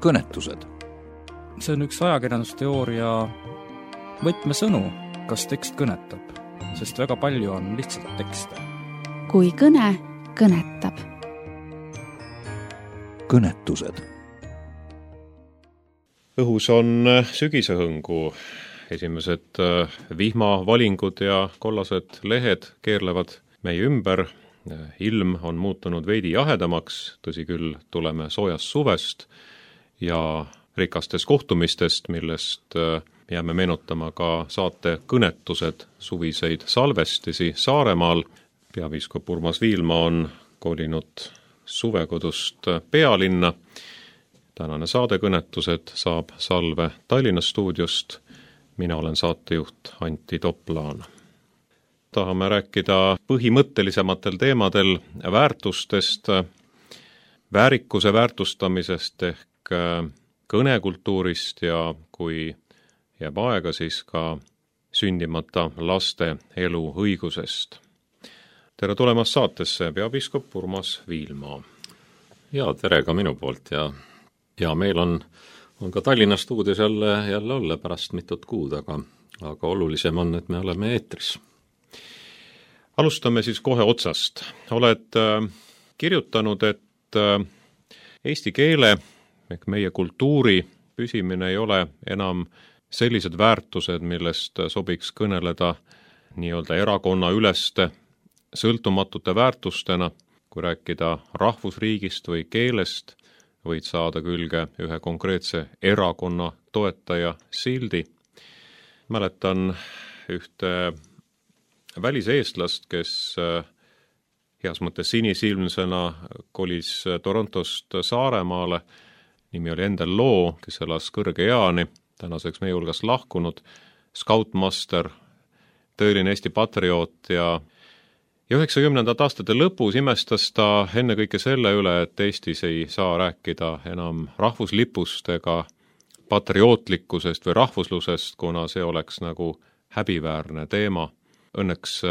kõnetused. See on üks ajakirjandusteooria võtmesõnu, kas tekst kõnetab, sest väga palju on lihtsalt tekste. Kui kõne kõnetab. Kõnetused. Õhus on sügisehõngu. Esimesed vihmavalingud ja kollased lehed keerlevad meie ümber. Ilm on muutunud veidi jahedamaks, tõsi küll, tuleme soojast suvest ja rikastest kohtumistest, millest jääme meenutama ka saate kõnetused suviseid salvestisi Saaremaal. Peapiiskop Urmas Viilma on kolinud suvekodust pealinna. Tänane saade kõnetused saab salve Tallinna stuudiost. Mina olen saatejuht Antti Toplaan. Tahame rääkida põhimõttelisematel teemadel väärtustest, väärikuse väärtustamisest ehk kõnekultuurist ja kui jääb aega, siis ka sündimata laste elu õigusest. Tere tulemast saatesse, peapiiskop Urmas Viilma. Ja tere ka minu poolt ja meil on ka Tallinna stuudios jälle olla pärast mitut kuud, aga olulisem on, et me oleme eetris. Alustame siis kohe otsast. Oled kirjutanud, et eesti keele ehk meie kultuuri püsimine ei ole enam sellised väärtused, millest sobiks kõneleda nii-öelda erakonna üleste sõltumatute väärtustena. Kui rääkida rahvusriigist või keelest, võid saada külge ühe konkreetse erakonna toetaja sildi. Mäletan ühte väliseestlast, kes heas mõttes sinisilmsena kolis Torontost Saaremaale. Nimi oli Endel Loo, kes elas kõrge eani, tänaseks meie hulgas lahkunud, scoutmaster, tõeline Eesti patrioot ja 90. aastate lõpus imestas ta ennekõike selle üle, et Eestis ei saa rääkida enam rahvuslipust ega patriootlikkusest või rahvuslusest, kuna see oleks nagu häbiväärne teema. Õnneks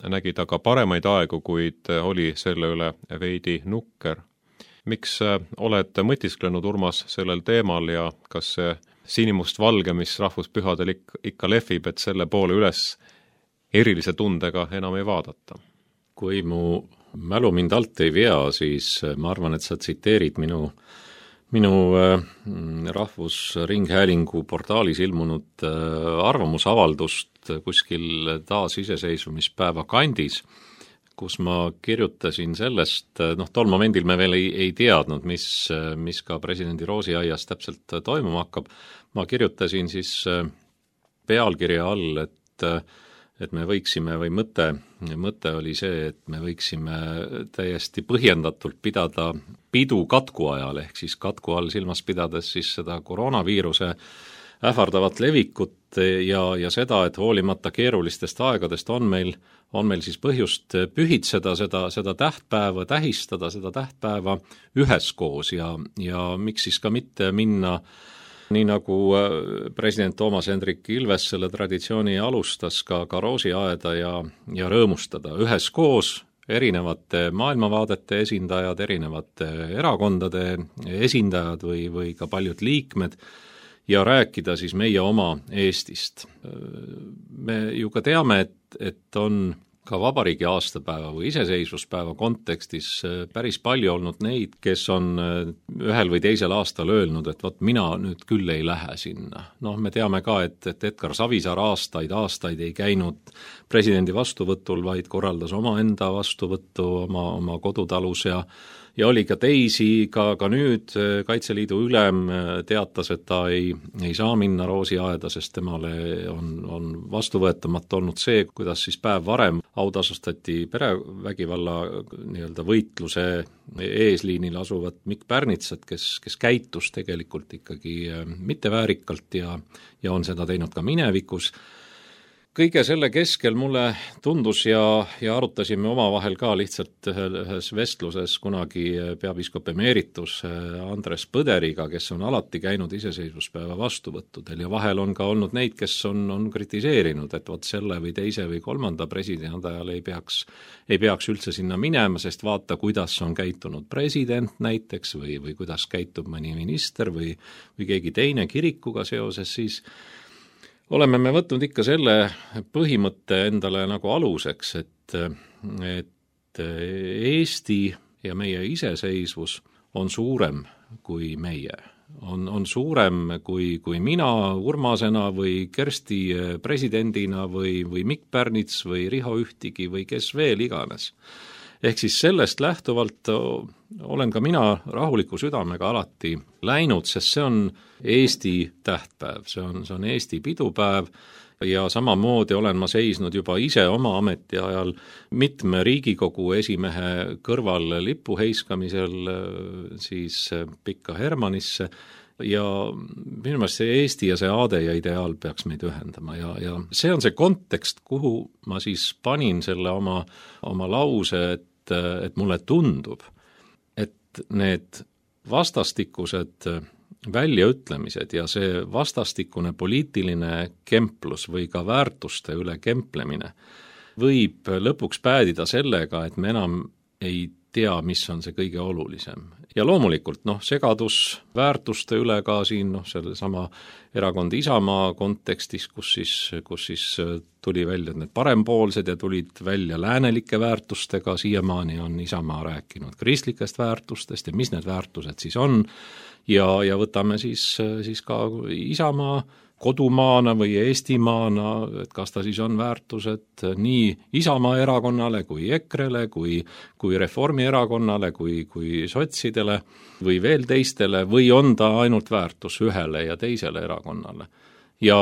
nägi ta ka paremaid aegu, kuid oli selle üle veidi nukker. Miks oled mõtisklenud, Urmas, sellel teemal ja kas see sinimust valge, mis rahvuspühadel ikka lehvib, et selle poole üles erilise tundega enam ei vaadata? Kui mu mälu mind alt ei vea, siis ma arvan, et sa tsiteerid minu Rahvusringhäälingu portaalis ilmunud arvamusavaldust kuskil taasiseseisvumispäeva kandis, kus ma kirjutasin sellest, tol momendil me veel ei teadnud, mis ka presidendi Roosiaias täpselt toimuma hakkab. Ma kirjutasin siis pealkirja all, et me võiksime, või mõte oli see, et me võiksime täiesti põhjendatult pidada pidu katku ajal, ehk siis katku all silmas pidades siis seda koroonaviiruse ähvardavat levikut ja seda, et hoolimata keerulistest aegadest on meil siis põhjust pühitseda seda tähtpäeva, tähistada seda tähtpäeva üheskoos ja miks siis ka mitte minna nii nagu president Toomas Hendrik Ilves selle traditsiooni alustas ka Roosiaeda ja rõõmustada üheskoos erinevate maailmavaadete esindajad, erinevate erakondade esindajad või ka paljud liikmed ja rääkida siis meie oma Eestist. Me ju ka teame, et on ka vabariigi aastapäeva või iseseisvuspäeva kontekstis päris palju olnud neid, kes on ühel või teisel aastal öelnud, et vot mina nüüd küll ei lähe sinna. Me teame ka, et Edgar Savisaar aastaid ei käinud presidendi vastuvõtul, vaid korraldas omaenda vastuvõttu oma kodutalus ja oli ka teisi, ka nüüd Kaitseliidu ülem teatas, et ta ei saa minna Roosiaeda, sest temale on vastuvõetamata olnud see, kuidas siis päev varem autasustati perevägivalla nii-öelda võitluse eesliinil asuvat Mikk Pärnitsat, kes käitus tegelikult ikkagi mitteväärikalt ja on seda teinud ka minevikus. kõige selle keskel mulle tundus ja arutasime omavahel ka lihtsalt ühes vestluses kunagi peapiiskop emeritus Andres Põderiga, kes on alati käinud iseseisvuspäeva vastuvõttudel ja vahel on ka olnud neid, kes on kritiseerinud, et vot selle või teise või kolmanda presidendi ajal ei peaks üldse sinna minema, sest vaata, kuidas on käitunud president näiteks või kuidas käitub mõni minister või keegi teine kirikuga seoses, siis oleme me võtnud ikka selle põhimõtte endale nagu aluseks, et Eesti ja meie iseseisvus on suurem kui meie. On suurem kui mina Urmasena või Kersti presidendina või Mikk Pärnits või Riho Ühtigi või kes veel iganes. Ehk siis sellest lähtuvalt olen ka mina rahuliku südamega alati läinud, sest see on Eesti tähtpäev, see on Eesti pidupäev ja samamoodi olen ma seisnud juba ise oma ametiajal mitme Riigikogu esimehe kõrval lipu heiskamisel siis Pikka Hermannisse ja minu meelest see Eesti ja see aade ja ideaal peaks meid ühendama ja see on see kontekst, kuhu ma siis panin selle oma lause, et mulle tundub, et need vastastikused väljaütlemised ja see vastastikune poliitiline kemplus või ka väärtuste üle kemplemine võib lõpuks päädida sellega, et me enam ei tea, mis on see kõige olulisem. Ja loomulikult segadus väärtuste üle ka siin sellesama erakond Isamaa kontekstis, kus siis tuli välja need parempoolsed ja tulid välja läänelike väärtustega, siiamaani on Isamaa rääkinud kristlikest väärtustest ja mis need väärtused siis on ja võtame siis ka Isamaa kodumaana või Eestimaana, et kas ta siis on väärtused nii Isamaa erakonnale kui EKRE-le, kui Reformierakonnale, kui sotsidele või veel teistele või on ta ainult väärtus ühele ja teisele erakonnale. Ja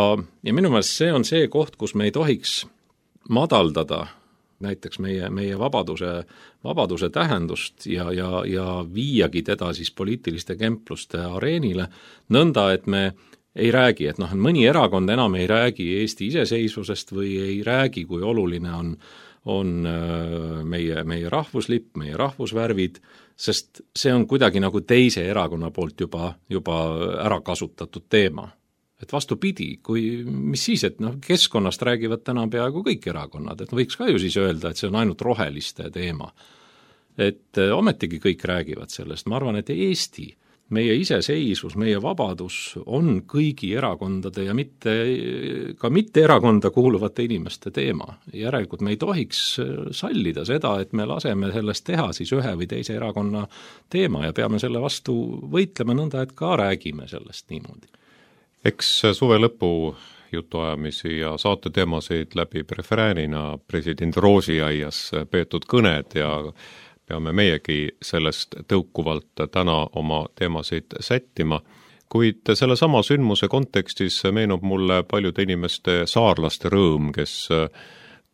minu meelest see on see koht, kus me ei tohiks madaldada näiteks meie vabaduse tähendust ja viiagi teda siis poliitiliste kempluste areenile, nõnda, et me ei räägi, et mõni erakond enam ei räägi Eesti iseseisvusest või ei räägi, kui oluline on meie rahvuslipp, meie rahvusvärvid, sest see on kuidagi nagu teise erakonna poolt juba ära kasutatud teema. Et vastupidi, mis siis, et keskkonnast räägivad täna peaaegu kõik erakonnad, et võiks ka ju siis öelda, et see on ainult roheliste teema. Et ometigi kõik räägivad sellest, ma arvan, et Eesti meie iseseisvus, meie vabadus on kõigi erakondade ja mitte erakonda kuuluvate inimeste teema. Järelikult me ei tohiks sallida seda, et me laseme sellest teha siis ühe või teise erakonna teema ja peame selle vastu võitlema nõnda, et ka räägime sellest niimoodi. Eks suve lõpu jutuajamisi ja saate teemasid läbib refräänina president Roosiaias peetud kõned ja peame meiegi sellest tõukuvalt täna oma teemasid sättima, kuid selle sama sündmuse kontekstis meenub mulle paljude inimeste saarlaste rõõm, kes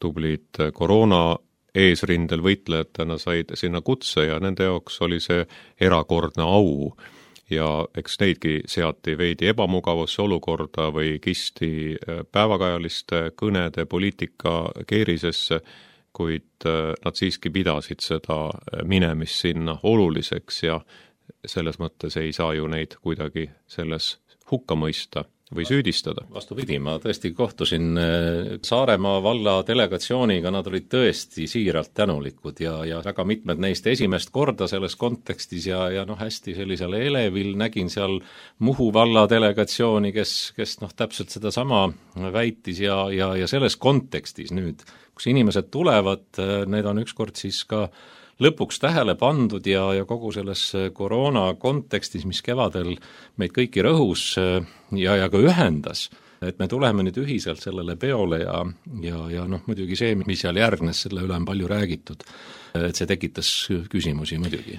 tublid koroona eesrindel võitlejatena said sinna kutse ja nende jaoks oli see erakordne au. Ja eks neidki seati veidi ebamugavusse olukorda või kisti päevakajaliste kõnede poliitika keerisesse, kuid nad siiski pidasid seda minemist sinna oluliseks ja selles mõttes ei saa ju neid kuidagi selles hukka mõista või süüdistada. Vastupidi, ma tõesti kohtusin Saaremaa valla delegatsiooniga, nad olid tõesti siiralt tänulikud ja väga mitmed neist esimest korda selles kontekstis ja hästi sellisel elevil nägin seal Muhu valla delegatsiooni, kes täpselt seda sama väitis ja selles kontekstis nüüd, kus inimesed tulevad, need on ükskord siis ka lõpuks tähele pandud ja kogu selles koroona kontekstis, mis kevadel meid kõiki rõhus ja ka ühendas, et me tuleme nüüd ühiselt sellele peole ja muidugi see, mis seal järgnes, selle üle on palju räägitud, et see tekitas küsimusi muidugi.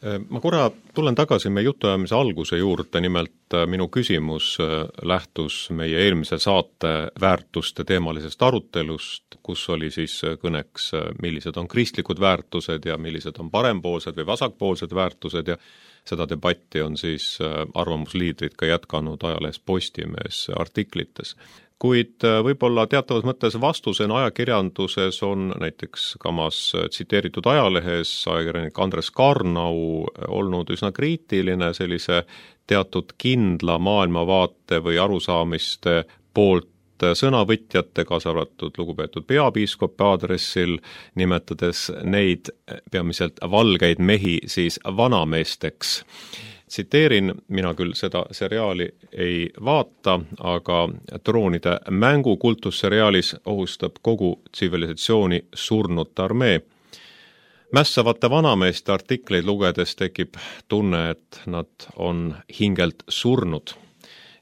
Ma korra tulen tagasi meie jutuajamise alguse juurde, nimelt minu küsimus lähtus meie eelmise saate väärtuste teemalisest arutelust, kus oli siis kõneks, millised on kristlikud väärtused ja millised on parempoolsed või vasakpoolsed väärtused ja seda debatti on siis arvamusliidrid ka jätkanud ajalehes Postimees artiklites. kuid võib-olla teatavas mõttes vastusena ajakirjanduses on näiteks kamas tsiteeritud ajalehes ajakirjanik Andres Karnau olnud üsna kriitiline sellise teatud kindla maailmavaate või arusaamiste poolt sõnavõtjate, kaasa arvatud lugupeetud peapiiskopi aadressil, nimetades neid peamiselt valgeid mehi siis vanameesteks. Tsiteerin, mina küll seda seriaali ei vaata, aga Troonide mängu kultusseriaalis ohustab kogu tsivilisatsiooni surnute armee. Mässavate vanameeste artikleid lugedes tekib tunne, et nad on hingelt surnud.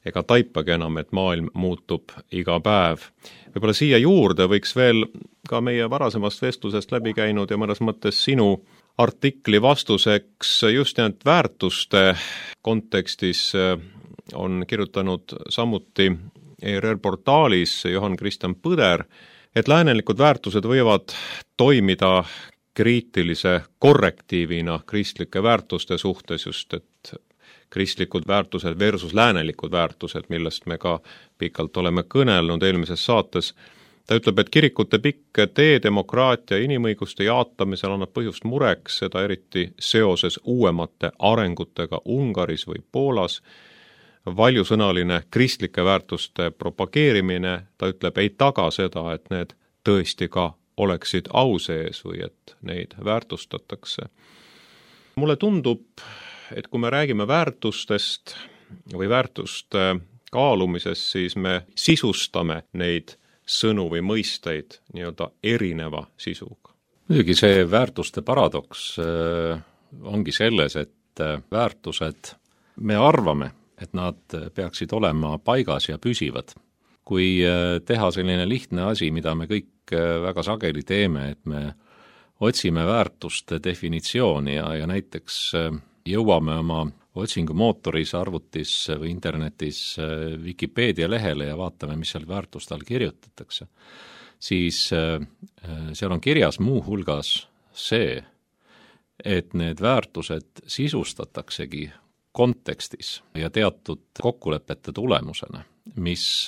Ega taipagi enam, et maailm muutub iga päev. Võib-olla siia juurde võiks veel ka meie varasemast vestlusest läbi käinud ja mõnes mõttes sinu artikli vastuseks just need väärtuste kontekstis on kirjutanud samuti ERR portaalis Johan Kristjan Põder, et läänelikud väärtused võivad toimida kriitilise korrektiivina kristlike väärtuste suhtes, just et kristlikud väärtused versus läänelikud väärtused, millest me ka pikalt oleme kõnelnud eelmises saates. Ta ütleb, et kirikute pikk tee demokraatia ja inimõiguste jaatamisel annab põhjust mureks, seda eriti seoses uuemate arengutega Ungaris või Poolas. Valjusõnaline kristlike väärtuste propageerimine, ta ütleb, ei taga seda, et need tõesti ka oleksid au sees või et neid väärtustatakse. Mulle tundub, et kui me räägime väärtustest või väärtuste kaalumisest, siis me sisustame neid sõnu või mõisteid nii-öelda erineva sisuga. Muidugi see väärtuste paradoks ongi selles, et väärtused, me arvame, et nad peaksid olema paigas ja püsivad. Kui teha selline lihtne asi, mida me kõik väga sageli teeme, et me otsime väärtuste definitsiooni ja näiteks jõuame oma otsingumootoris, arvutis või internetis Wikipedia lehele ja vaatame, mis seal väärtuste all kirjutatakse, siis seal on kirjas muu hulgas see, et need väärtused sisustataksegi kontekstis ja teatud kokkulepete tulemusena, mis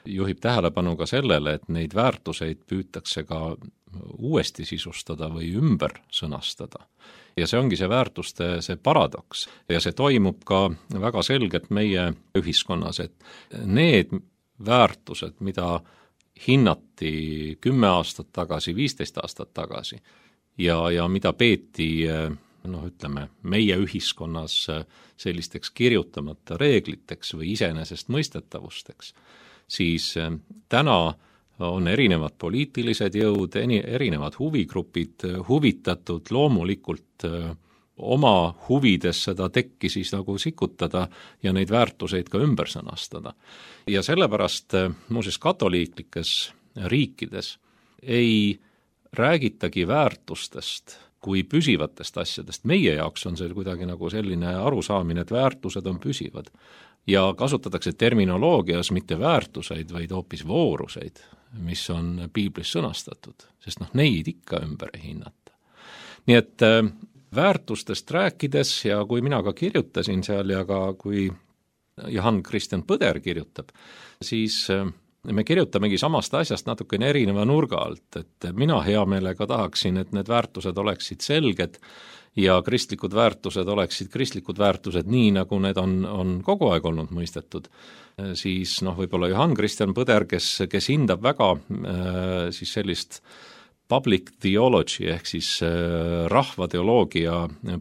juhib tähelepanu ka sellele, et neid väärtuseid püütakse ka uuesti sisustada või ümber sõnastada. Ja see ongi see väärtuste see paradoks ja see toimub ka väga selgelt meie ühiskonnas, et need väärtused, mida hinnati 10 aastat tagasi, 15 aastat tagasi ja mida peeti ütleme, meie ühiskonnas sellisteks kirjutamata reegliteks või iseenesestmõistetavusteks, siis täna on erinevad poliitilised jõud, erinevad huvigrupid huvitatud loomulikult oma huvides seda tekki siis nagu sikutada ja neid väärtuseid ka ümber sõnastada. Ja sellepärast muuseas katoliiklikes riikides ei räägitagi väärtustest kui püsivatest asjadest. Meie jaoks on see kuidagi nagu selline arusaamine, et väärtused on püsivad. Ja kasutatakse terminoloogias mitte väärtuseid, vaid hoopis vooruseid, mis on piiblis sõnastatud, sest neid ikka ümber ei hinnata. Nii et väärtustest rääkides ja kui mina ka kirjutasin seal ja ka kui Johan Kristjan Põder kirjutab, siis me kirjutamegi samast asjast natukene erineva nurga alt, et mina hea meelega tahaksin, et need väärtused oleksid selged ja kristlikud väärtused oleksid kristlikud väärtused nii, nagu need on kogu aeg olnud mõistetud, siis võib-olla Johan Kristjan Põder, kes hindab väga siis sellist public theology ehk siis rahvateoloogia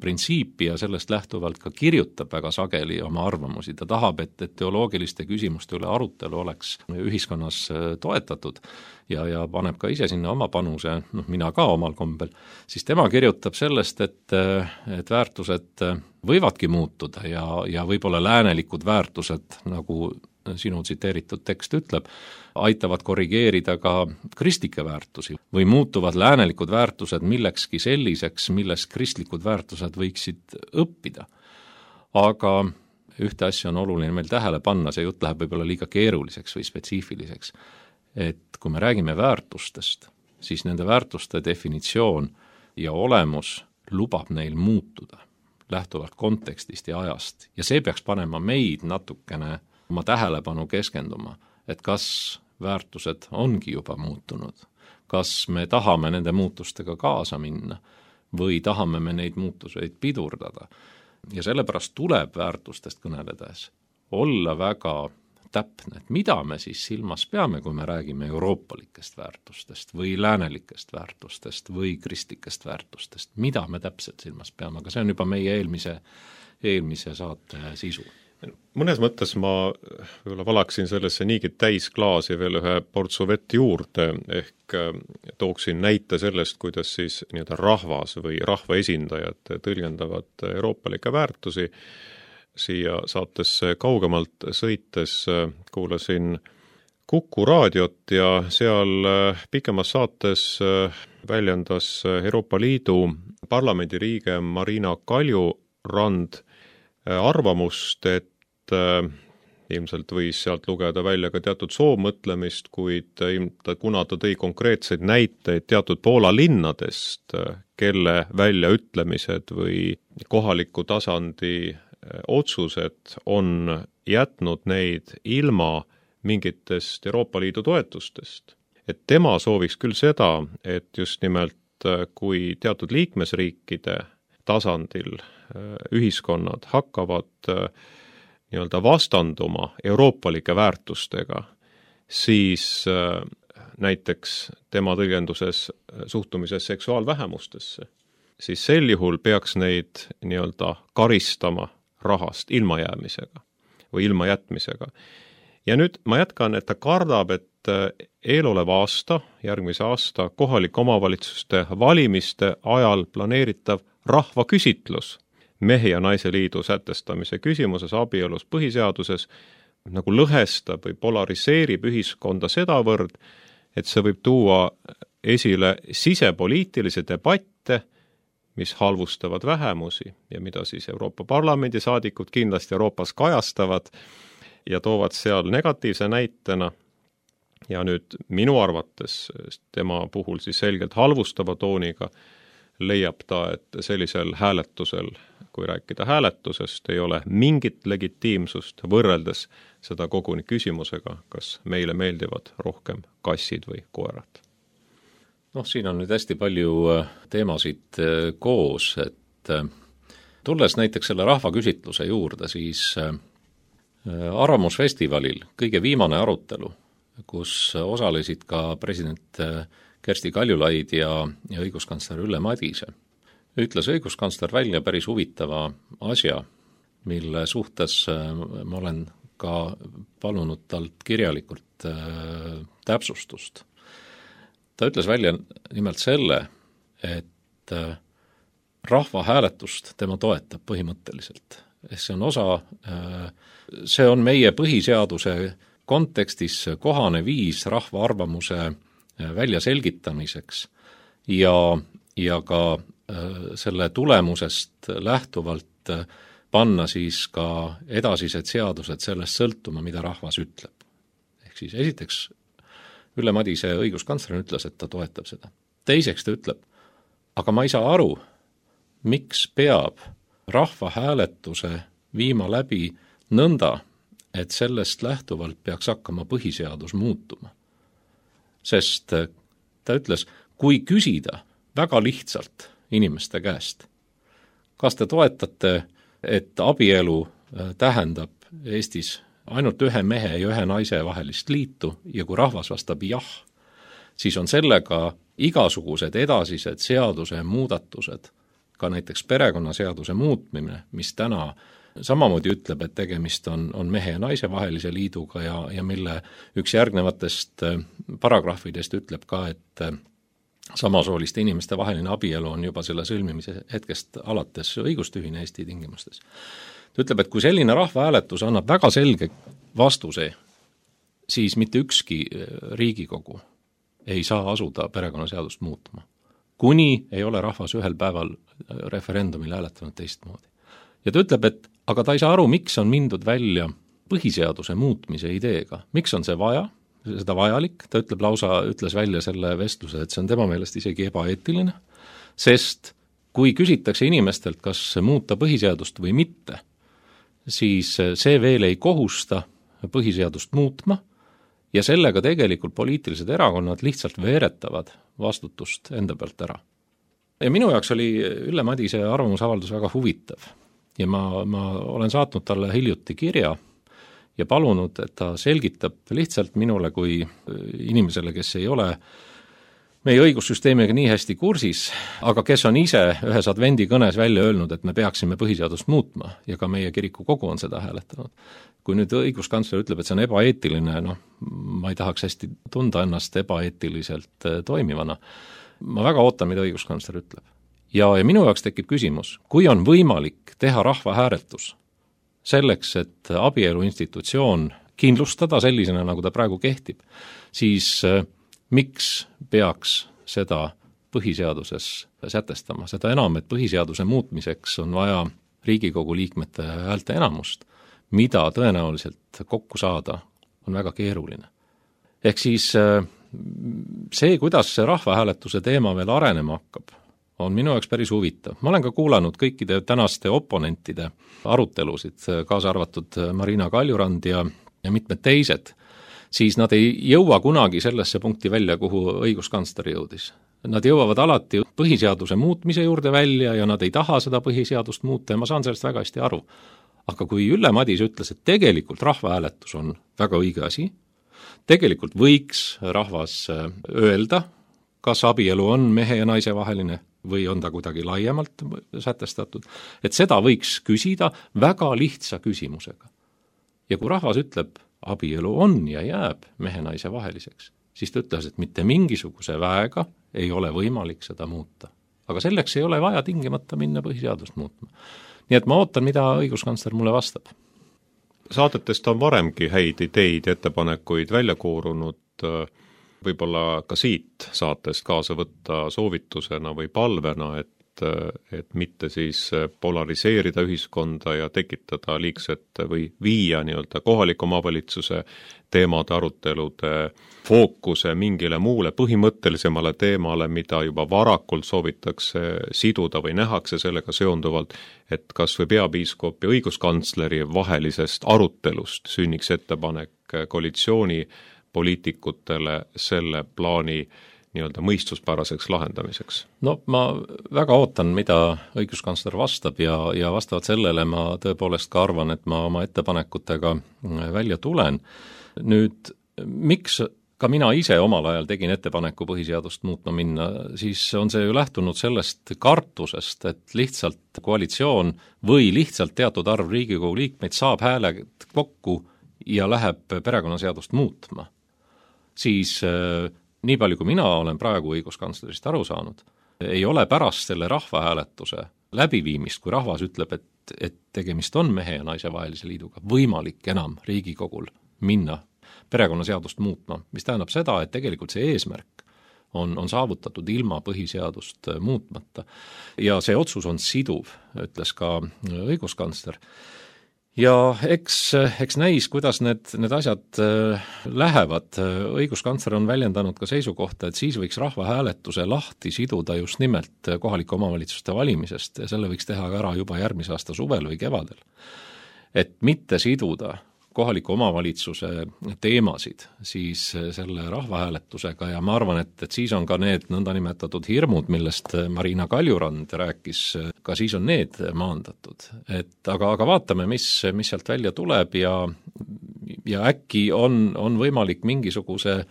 printsiipi ja sellest lähtuvalt ka kirjutab väga sageli oma arvamusi. Ta tahab, et teoloogiliste küsimuste üle arutelu oleks ühiskonnas toetatud ja paneb ka ise sinna oma panuse, mina ka omal kombel, siis tema kirjutab sellest, et väärtused võivadki muutuda ja võib-olla läänelikud väärtused, nagu sinu tsiteeritud tekst ütleb, aitavad korrigeerida ka kristlikke väärtusi või muutuvad läänelikud väärtused millekski selliseks, millest kristlikud väärtused võiksid õppida. Aga ühte asja on oluline meil tähele panna, see jutt läheb võib-olla liiga keeruliseks või spetsiifiliseks, et kui me räägime väärtustest, siis nende väärtuste definitsioon ja olemus lubab neil muutuda lähtuvalt kontekstist ja ajast ja see peaks panema meid natukene oma tähelepanu keskenduma, et kas väärtused ongi juba muutunud. Kas me tahame nende muutustega kaasa minna või tahame me neid muutuseid pidurdada? Ja sellepärast tuleb väärtustest kõneledes olla väga täpne, et mida me siis silmas peame, kui me räägime euroopalikest väärtustest või läänelikest väärtustest või kristlikest väärtustest, mida me täpselt silmas peame, aga see on juba meie eelmise saate sisu. Mõnes mõttes ma võib-olla valaksin sellesse niigi täis klaasi veel ühe portsu vett juurde, ehk tooksin näite sellest, kuidas siis nii-öelda rahvas või rahvaesindajad tõlgendavad euroopalikke väärtusi. Siia saatesse kaugemalt sõites kuulasin Kuku raadiot ja seal pikemas saates väljendas Euroopa Liidu parlamendiliige Marina Kaljurand arvamust, et ilmselt võis sealt lugeda välja ka teatud soovmõtlemist, kuid kuna ta tõi konkreetseid näiteid teatud Poola linnadest, kelle väljaütlemised või kohaliku tasandi otsused on jätnud neid ilma mingitest Euroopa Liidu toetustest. Et tema sooviks küll seda, et just nimelt kui teatud liikmesriikide tasandil ühiskonnad hakkavad nii-öelda vastanduma euroopalike väärtustega, siis näiteks tema tõlgenduses suhtumises seksuaalvähemustesse, siis sel juhul peaks neid nii-öelda karistama rahast ilmajäämisega või ilmajätmisega. Ja nüüd ma jätkan, et ta kardab, et eeloleva aasta, järgmise aasta kohalike omavalitsuste valimiste ajal planeeritav rahvaküsitlus mehe ja naise liidu sätestamise küsimuses abielus põhiseaduses nagu lõhestab või polariseerib ühiskonda sedavõrd, et see võib tuua esile sisepoliitilisi debatte, mis halvustavad vähemusi ja mida siis Euroopa Parlamendi saadikud kindlasti Euroopas kajastavad ja toovad seal negatiivse näitena. Ja nüüd minu arvates tema puhul siis selgelt halvustava tooniga leiab ta, et sellisel hääletusel, kui rääkida hääletusest, ei ole mingit legitiimsust võrreldes seda koguni küsimusega, kas meile meeldivad rohkem kassid või koerad. Siin on nüüd hästi palju teemasid koos, et tulles näiteks selle rahvaküsitluse juurde, siis Arvamusfestivalil kõige viimane arutelu, kus osalesid ka president Kersti Kaljulaid ja õiguskantsler Ülle Madise, ütles õiguskantsler välja päris huvitava asja, mille suhtes ma olen ka palunud talt kirjalikult täpsustust. Ta ütles välja nimelt selle, et rahvahääletust tema toetab põhimõtteliselt. See on meie põhiseaduse kontekstis kohane viis rahva arvamuse väljaselgitamiseks ja ka selle tulemusest lähtuvalt panna siis ka edasised seadused sellest sõltuma, mida rahvas ütleb. Ehk siis esiteks Ülle Madise õiguskantsler ütles, et ta toetab seda. Teiseks ta ütleb, aga ma ei saa aru, miks peab rahvahääletuse viima läbi nõnda, et sellest lähtuvalt peaks hakkama põhiseadus muutuma. Sest ta ütles, kui küsida väga lihtsalt inimeste käest, kas te toetate, et abielu tähendab Eestis ainult ühe mehe ja ühe naise vahelist liitu ja kui rahvas vastab jah, siis on sellega igasugused edasised seaduse muudatused, ka näiteks perekonnaseaduse muutmine, mis täna samamoodi ütleb, et tegemist on mehe ja naise vahelise liiduga ja mille üks järgnevatest paragrahvidest ütleb ka, et samasooliste inimeste vaheline abielu on juba selle sõlmimise hetkest alates õigustühine Eesti tingimustes. Ta ütleb, et kui selline rahvahääletus annab väga selge vastuse, siis mitte ükski Riigikogu ei saa asuda perekonnaseadust muutma, kuni ei ole rahvas ühel päeval referendumil hääletanud teistmoodi. Ja ta ütleb, et aga ta ei saa aru, miks on mindud välja põhiseaduse muutmise ideega. Miks on see vaja, seda vajalik? Ta ütles välja selle vestluse, et see on tema meelest isegi ebaeetiline, sest kui küsitakse inimestelt, kas muuta põhiseadust või mitte, siis see veel ei kohusta põhiseadust muutma ja sellega tegelikult poliitilised erakonnad lihtsalt veeretavad vastutust enda pealt ära. Ja minu jaoks oli Ülle Madise arvamusavaldus väga huvitav ja ma olen saatnud talle hiljuti kirja ja palunud, et ta selgitab lihtsalt minule kui inimesele, kes ei ole meie õigussüsteemiga nii hästi kursis, aga kes on ise ühes advendi kõnes välja öelnud, et me peaksime põhiseadust muutma ja ka meie kiriku kogu on seda hääletanud. Kui nüüd õiguskantsler ütleb, et see on ebaeetiline, ma ei tahaks hästi tunda ennast ebaeetiliselt toimivana. Ma väga ootan, mida õiguskantsler ütleb. Ja minu jaoks tekib küsimus, kui on võimalik teha rahvahääletus selleks, et abielu institutsioon kindlustada sellisena, nagu ta praegu kehtib, siis miks peaks seda põhiseaduses sätestama? Seda enam, et põhiseaduse muutmiseks on vaja Riigikogu liikmete häälte enamust, mida tõenäoliselt kokku saada on väga keeruline. Ehk siis see, kuidas see rahvahääletuse teema veel arenema hakkab, on minu jaoks päris huvitav. Ma olen ka kuulanud kõikide tänaste oponentide arutelusid, kaasa arvatud Marina Kaljurand ja mitmed teised, siis nad ei jõua kunagi sellesse punkti välja, kuhu õiguskantsler jõudis. Nad jõuavad alati põhiseaduse muutmise juurde välja ja nad ei taha seda põhiseadust muuta ja ma saan sellest väga hästi aru. Aga kui Ülle Madise ütles, et tegelikult rahvahääletus on väga õige asi, tegelikult võiks rahvas öelda, kas abielu on mehe ja naise vaheline või on ta kuidagi laiemalt sätestatud, et seda võiks küsida väga lihtsa küsimusega. Ja kui rahvas ütleb, abielu on ja jääb mehe-naise vaheliseks, siis ta ütles, et mitte mingisuguse väega ei ole võimalik seda muuta. Aga selleks ei ole vaja tingimata minna põhiseadust muutma. Nii et ma ootan, mida õiguskantsler mulle vastab. Saadetest on varemgi häid ideid ja ettepanekuid välja koorunud, võib-olla ka siit saatest kaasa võtta soovitusena või palvena, et mitte siis polariseerida ühiskonda ja tekitada liigset või viia nii-öelda kohaliku omavalitsuse teemade arutelude fookuse mingile muule põhimõttelisemale teemale, mida juba varakult soovitakse siduda või nähakse sellega seonduvalt, et kas või peapiiskop ja õiguskantsleri vahelisest arutelust sünniks ettepanek koalitsiooni poliitikutele selle plaani nii-öelda mõistuspäraseks lahendamiseks? No ma väga ootan, mida õiguskantsler vastab ja vastavalt sellele ma tõepoolest ka arvan, et ma oma ettepanekutega välja tulen. Nüüd, miks ka mina ise omal ajal tegin ettepaneku põhiseadust muutma minna, siis on see ju lähtunud sellest kartusest, et lihtsalt koalitsioon või lihtsalt teatud arv Riigikogu liikmeid saab hääled kokku ja läheb perekonnaseadust muutma. Siis nii palju, kui mina olen praegu õiguskantslerist aru saanud, ei ole pärast selle rahvahääletuse läbiviimist, kui rahvas ütleb, et tegemist on mehe ja naise vahelise liiduga, võimalik enam Riigikogul minna perekonnaseadust muutma, mis tähendab seda, et tegelikult see eesmärk on saavutatud ilma põhiseadust muutmata. Ja see otsus on siduv, ütles ka õiguskantsler. Ja eks näis, kuidas need asjad lähevad. Õiguskantsler on väljendanud ka seisukohta, et siis võiks rahvahääletuse lahti siduda just nimelt kohalike omavalitsuste valimisest ja selle võiks teha ka ära juba järgmise aasta suvel või kevadel. Et mitte siduda kohaliku omavalitsuse teemasid siis selle rahvahääletusega ja ma arvan, et siis on ka need nõndanimetatud hirmud, millest Marina Kaljurand rääkis, ka siis on need maandatud. Aga vaatame, mis sealt välja tuleb ja äkki on võimalik mingisuguse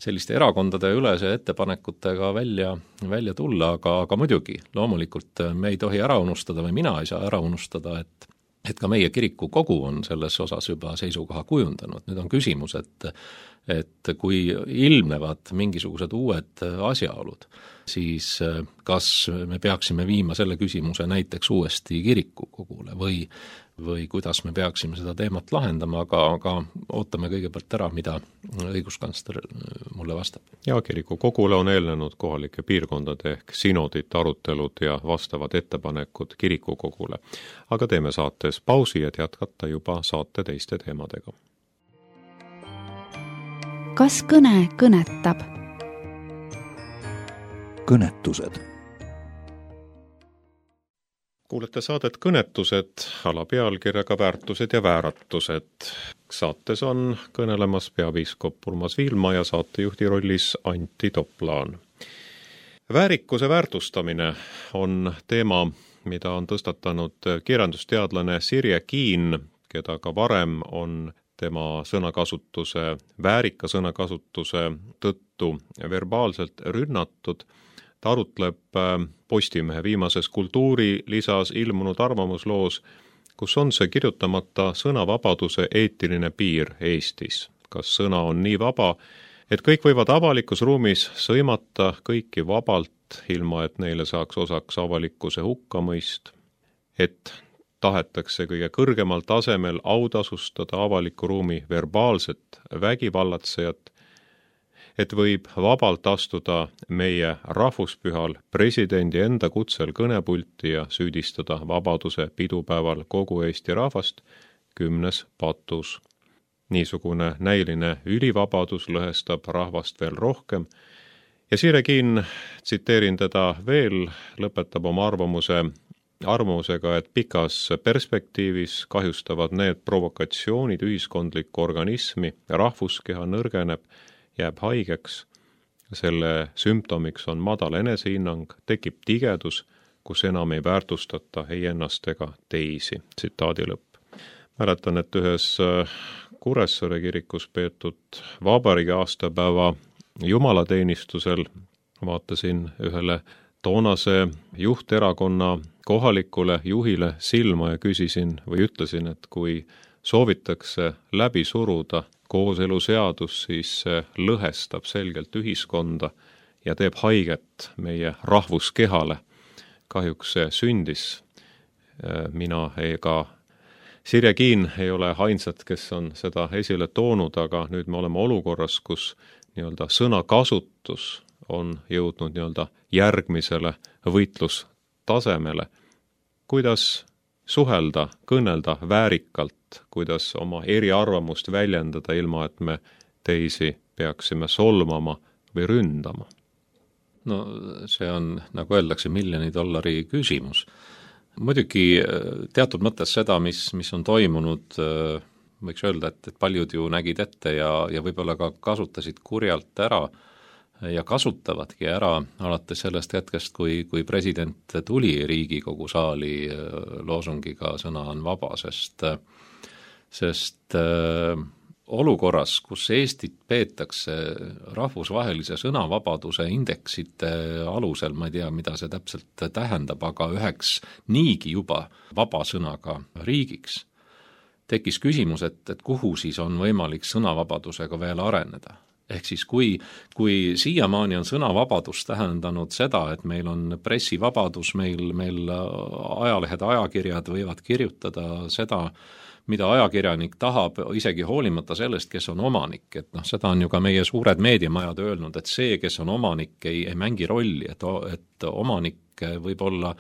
selliste erakondade ülese ettepanekutega välja tulla, aga muidugi loomulikult me ei tohi ära unustada või mina ei saa ära unustada, et ka meie kiriku kogu on selles osas juba seisukoha kujundanud. Nüüd on küsimus, et kui ilmnevad mingisugused uued asjaolud, siis kas me peaksime viima selle küsimuse näiteks uuesti kiriku kogule või kuidas me peaksime seda teemat lahendama, aga ootame kõigepealt ära, mida õiguskantsler mulle vastab. Ja kiriku kogule on eelnenud kohalike piirkondade ehk sinodite arutelud ja vastavad ettepanekud kiriku kogule. Aga teeme saates pausi, et jätkata juba saate teiste teemadega. Kas kõne kõnetab? Kõnetused. kuulete saadet Kõnetused alapealkirjaga Väärtused ja vääratused. Saates on kõnelemas peapiiskop Urmas Viilma ja saatejuhti rollis Antti Toplaan. Väärikuse väärtustamine on teema, mida on tõstatanud kirjandusteadlane Sirje Kiin, keda ka varem on tema sõnakasutuse, väärika sõnakasutuse tõttu verbaalselt rünnatud. Ta arutleb Postimehe viimases kultuurilisas ilmunud arvamusloos, kus on see kirjutamata sõnavabaduse eetiline piir Eestis. Kas sõna on nii vaba, et kõik võivad avalikus ruumis sõimata kõiki vabalt, ilma et neile saaks osaks avalikkuse hukkamõist, et tahetakse kõige kõrgemal tasemel autasustada avaliku ruumi verbaalset vägivallatsejat, et võib vabalt astuda meie rahvuspühal presidendi enda kutsel kõnepulti ja süüdistada vabaduse pidupäeval kogu Eesti rahvast 10. patus. Niisugune näiline ülivabadus lõhestab rahvast veel rohkem ja Sirje Kiin, tsiteerin teda veel, lõpetab oma arvamusega, et pikas perspektiivis kahjustavad need provokatsioonid ühiskondlikku organismi ja rahvuskeha nõrgeneb, jääb haigeks, selle sümptomiks on madal enesehinnang, tekib tigedus, kus enam ei väärtustata ei ennast ega teisi. Tsitaadi lõpp. Mäletan, et ühes Kuressaare kirikus peetud vabariigi aastapäeva jumalateenistusel vaatasin ühele toonase juhterakonna kohalikule juhile silma ja küsisin või ütlesin, et kui soovitakse läbi suruda kooseluseadus, siis see lõhestab selgelt ühiskonda ja teeb haiget meie rahvuskehale. Kahjuks see sündis. Mina ega Sirje Kiin ei ole ainsad, kes on seda esile toonud, aga nüüd me oleme olukorras, kus sõnakasutus on jõudnud järgmisele võitlustasemele. Kuidas suhelda, kõnelda väärikalt, kuidas oma eriarvamust väljendada, ilma et me teisi peaksime solmama või ründama? No see on, nagu öeldakse, $1,000,000 küsimus. Muidugi teatud mõttes seda, mis on toimunud, võiks öelda, et paljud ju nägid ette ja võib-olla ka kasutasid kurjalt ära ja kasutavadki ära alates sellest hetkest, kui president tuli Riigikogu saali loosungiga sõna on vaba, sest olukorras, kus Eestit peetakse rahvusvahelise sõnavabaduse indeksite alusel, ma ei tea, mida see täpselt tähendab, aga üheks niigi juba vaba sõnaga riigiks, tekkis küsimus, et kuhu siis on võimalik sõnavabadusega veel areneda. Ehk siis kui siiamaani on sõnavabadus tähendanud seda, et meil on pressivabadus, meil ajalehed, ajakirjad võivad kirjutada seda, mida ajakirjanik tahab, isegi hoolimata sellest, kes on omanik. Et seda on ju ka meie suured meediamajad öelnud, et see, kes on omanik, ei mängi rolli, et omanik võib olla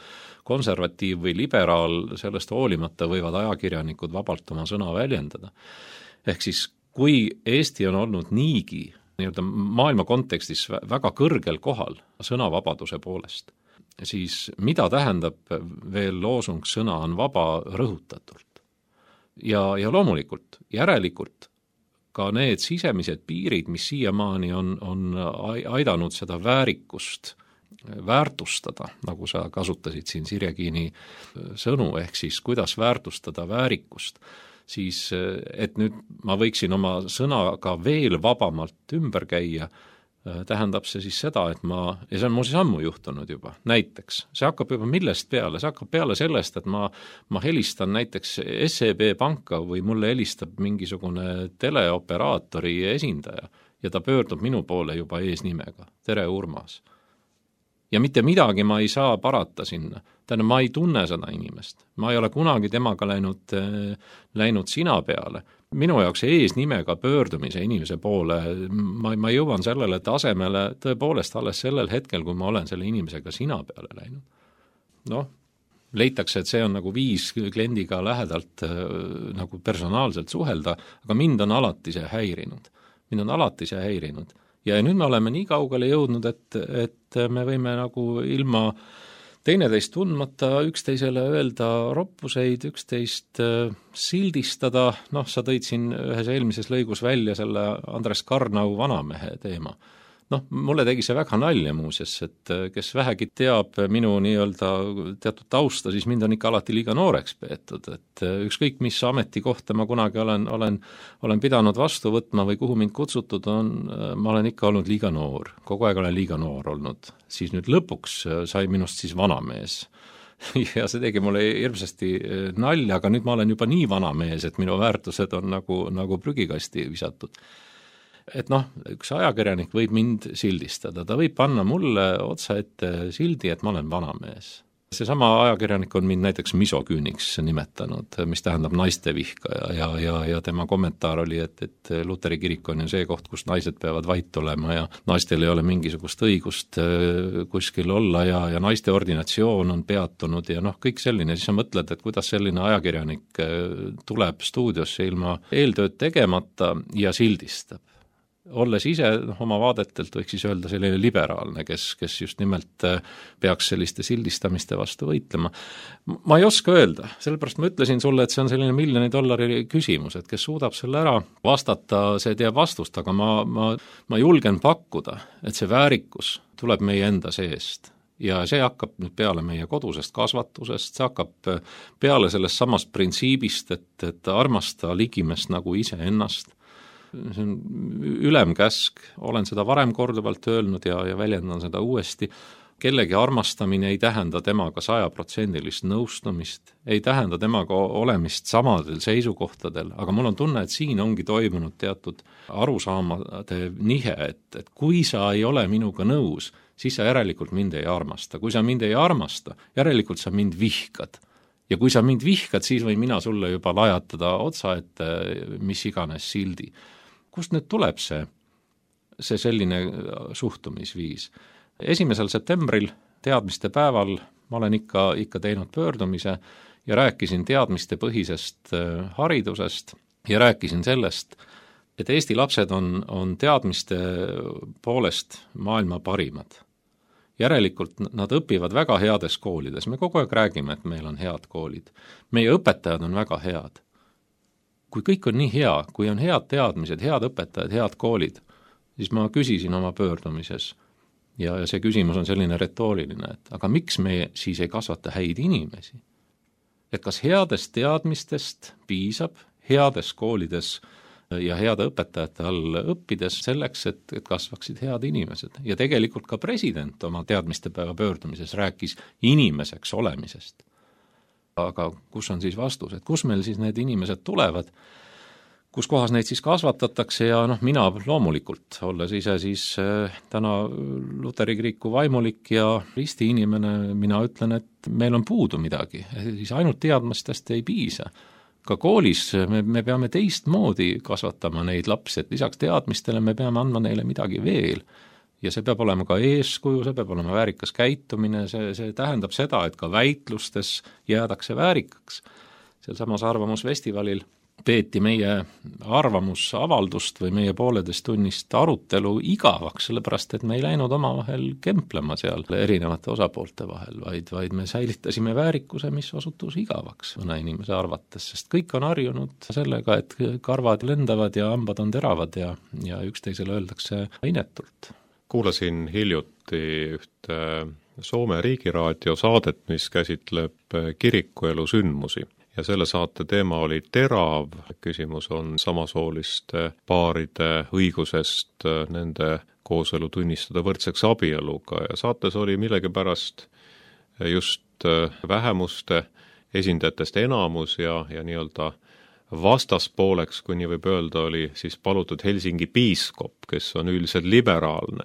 konservatiiv või liberaal, sellest hoolimata võivad ajakirjanikud vabalt oma sõna väljendada. Ehk siis kui Eesti on olnud niigi maailma kontekstis väga kõrgel kohal sõnavabaduse poolest, siis mida tähendab veel loosung sõna on vaba rõhutatult? Ja loomulikult, järelikult ka need sisemised piirid, mis siiamaani on aidanud seda väärikust väärtustada, nagu sa kasutasid siin Sirje Kiini sõnu, ehk siis kuidas väärtustada väärikust, siis et nüüd ma võiksin oma sõnaga veel vabamalt ümber käia, tähendab see siis seda, et ja see on muuseas ammu juhtunud juba, näiteks, see hakkab juba millest peale, see hakkab peale sellest, et ma helistan näiteks SEB panka või mulle helistab mingisugune teleoperaatori esindaja ja ta pöördub minu poole juba eesnimega, tere Urmas. Ja mitte midagi ma ei saa parata sinna. Tähendab, ma ei tunne seda inimest. Ma ei ole kunagi temaga läinud sina peale. Minu jaoks eesnimega pöördumise inimese poole, ma jõuan sellele tasemele tõepoolest alles sellel hetkel, kui ma olen selle inimesega sina peale läinud. Leitakse, et see on nagu viis kliendiga lähedalt nagu personaalselt suhelda, aga mind on alati see häirinud. Ja nüüd me oleme nii kaugele jõudnud, et me võime nagu ilma teineteist tundmata üksteisele öelda roppuseid, üksteist sildistada, sa tõid siin ühes eelmises lõigus välja selle Andres Karnau vanamehe teema. Mulle tegi see väga nalja muuseas, et kes vähegi teab minu nii-öelda teatud tausta, siis mind on ikka alati liiga nooreks peetud, et ükskõik mis ametikohta ma kunagi olen pidanud vastu võtma või kuhu mind kutsutud on, ma olen ikka olnud liiga noor, kogu aeg olen liiga noor olnud, siis nüüd lõpuks sai minust siis vanamees. Ja see tegi mulle hirmsasti nalja, aga nüüd ma olen juba nii vanamees, et minu väärtused on nagu prügikasti visatud. Et üks ajakirjanik võib mind sildistada, ta võib panna mulle otsa ette sildi, et ma olen vanamees. Seesama ajakirjanik on mind näiteks misoküüniks nimetanud, mis tähendab naiste vihkaja ja tema kommentaar oli, et Luteri kirik on ju see koht, kus naised peavad vait olema ja naistel ei ole mingisugust õigust kuskil olla ja naiste ordinatsioon on peatunud ja kõik selline, siis sa mõtled, et kuidas selline ajakirjanik tuleb stuudiosse ilma eeltööd tegemata ja sildistab. Olles ise oma vaadetelt võiks siis öelda selline liberaalne, kes just nimelt peaks selliste sildistamiste vastu võitlema. Ma ei oska öelda, sellepärast ma ütlesin sulle, et see on selline $1 miljoni küsimus, et kes suudab selle ära vastata, see teab vastust, aga ma julgen pakkuda, et see väärikus tuleb meie enda seest. Ja see hakkab nüüd peale meie kodusest kasvatusest, see hakkab peale sellest samast printsiibist, et armasta ligimest nagu ise ennast. See on ülemkäsk, olen seda varem korduvalt öelnud ja väljendan seda uuesti. Kellegi armastamine ei tähenda temaga 100% nõustumist, ei tähenda temaga olemist samadel seisukohtadel, aga mul on tunne, et siin ongi toimunud teatud arusaamade nihe, et kui sa ei ole minuga nõus, siis sa järelikult mind ei armasta. Kui sa mind ei armasta, järelikult sa mind vihkad. Ja kui sa mind vihkad, siis võin mina sulle juba lajatada otsa, et mis iganes sildi. Kust nüüd tuleb see selline suhtumisviis? 1. septembril teadmiste päeval ma olen ikka teinud pöördumise ja rääkisin teadmiste põhisest haridusest ja rääkisin sellest, et Eesti lapsed on teadmiste poolest maailma parimad. Järelikult nad õpivad väga heades koolides. Me kogu aeg räägime, et meil on head koolid. Meie õpetajad on väga head. Kui kõik on nii hea, kui on head teadmised, head õpetajad, head koolid, siis ma küsisin oma pöördumises ja see küsimus on selline retooriline, et aga miks me siis ei kasvata häid inimesi? Et kas headest teadmistest piisab heades koolides ja heade õpetajate all õppides selleks, et kasvaksid head inimesed. Ja tegelikult ka president oma teadmistepäeva pöördumises rääkis inimeseks olemisest. Aga kus on siis vastus, et kus meil siis need inimesed tulevad, kus kohas neid siis kasvatatakse ja mina loomulikult, olles ise siis täna Luteri kiriku vaimulik ja risti inimene, mina ütlen, et meil on puudu midagi, siis ainult teadmistest ei piisa. Ka koolis me peame teistmoodi kasvatama neid lapsi, et lisaks teadmistele me peame andma neile midagi veel. Ja see peab olema ka eeskuju, see peab olema väärikas käitumine, see tähendab seda, et ka väitlustes jäädakse väärikaks. Sealsamas arvamusfestivalil peeti meie arvamusavaldust või meie pooleteist tunnist arutelu igavaks, sellepärast et me ei läinud omavahel kemplema seal erinevate osapoolte vahel, vaid me säilitasime väärikuse, mis osutus igavaks mõne inimese arvates, sest kõik on harjunud sellega, et karvad lendavad ja hambad on teravad ja üksteisele öeldakse inetult. Kuulasin hiljuti ühte Soome riigiraadio saadet, mis käsitleb kirikuelu sündmusi. Ja selle saate teema oli terav, küsimus on samasooliste paaride õigusest nende kooselu tunnistada võrdseks abieluga ja saates oli millegipärast just vähemuste esindajatest enamus ja nii-öelda vastaspooleks, kui nii võib öelda, oli siis palutud Helsingi piiskop, kes on üldiselt liberaalne.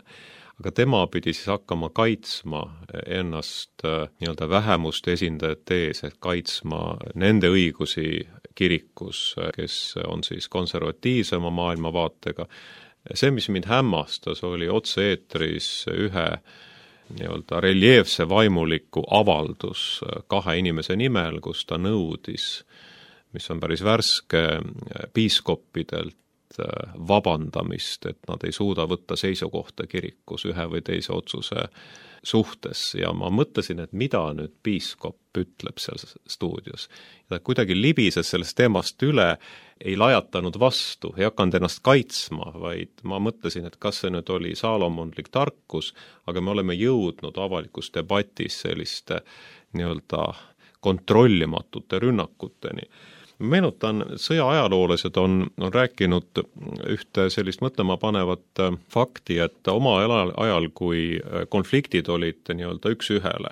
Aga tema pidi siis hakkama kaitsma ennast nii-öelda vähemuste esindajate ees, et kaitsma nende õigusi kirikus, kes on siis konservatiivsema maailmavaatega. See, mis mind hämmastas, oli otse-eetris ühe nii-öelda reljeefse vaimuliku avaldus 2 inimese nimel, kus ta nõudis, mis on päris värske, piiskoppidelt vabandamist, et nad ei suuda võtta seisukohta kirikus ühe või teise otsuse suhtes ja ma mõtlesin, et mida nüüd piiskop ütleb seal stuudios. Ja ta kuidagi libises sellest teemast üle, ei lajatanud vastu, ei hakanud ennast kaitsma, vaid ma mõtlesin, et kas see nüüd oli saalomonlik tarkus, aga me oleme jõudnud avalikus debatis selliste nii-öelda kontrollimatute rünnakuteni. Meenutan, sõja ajaloolased on rääkinud ühte sellist mõtlema panevat fakti, et oma ajal, kui konfliktid olid nii-öelda üks ühele,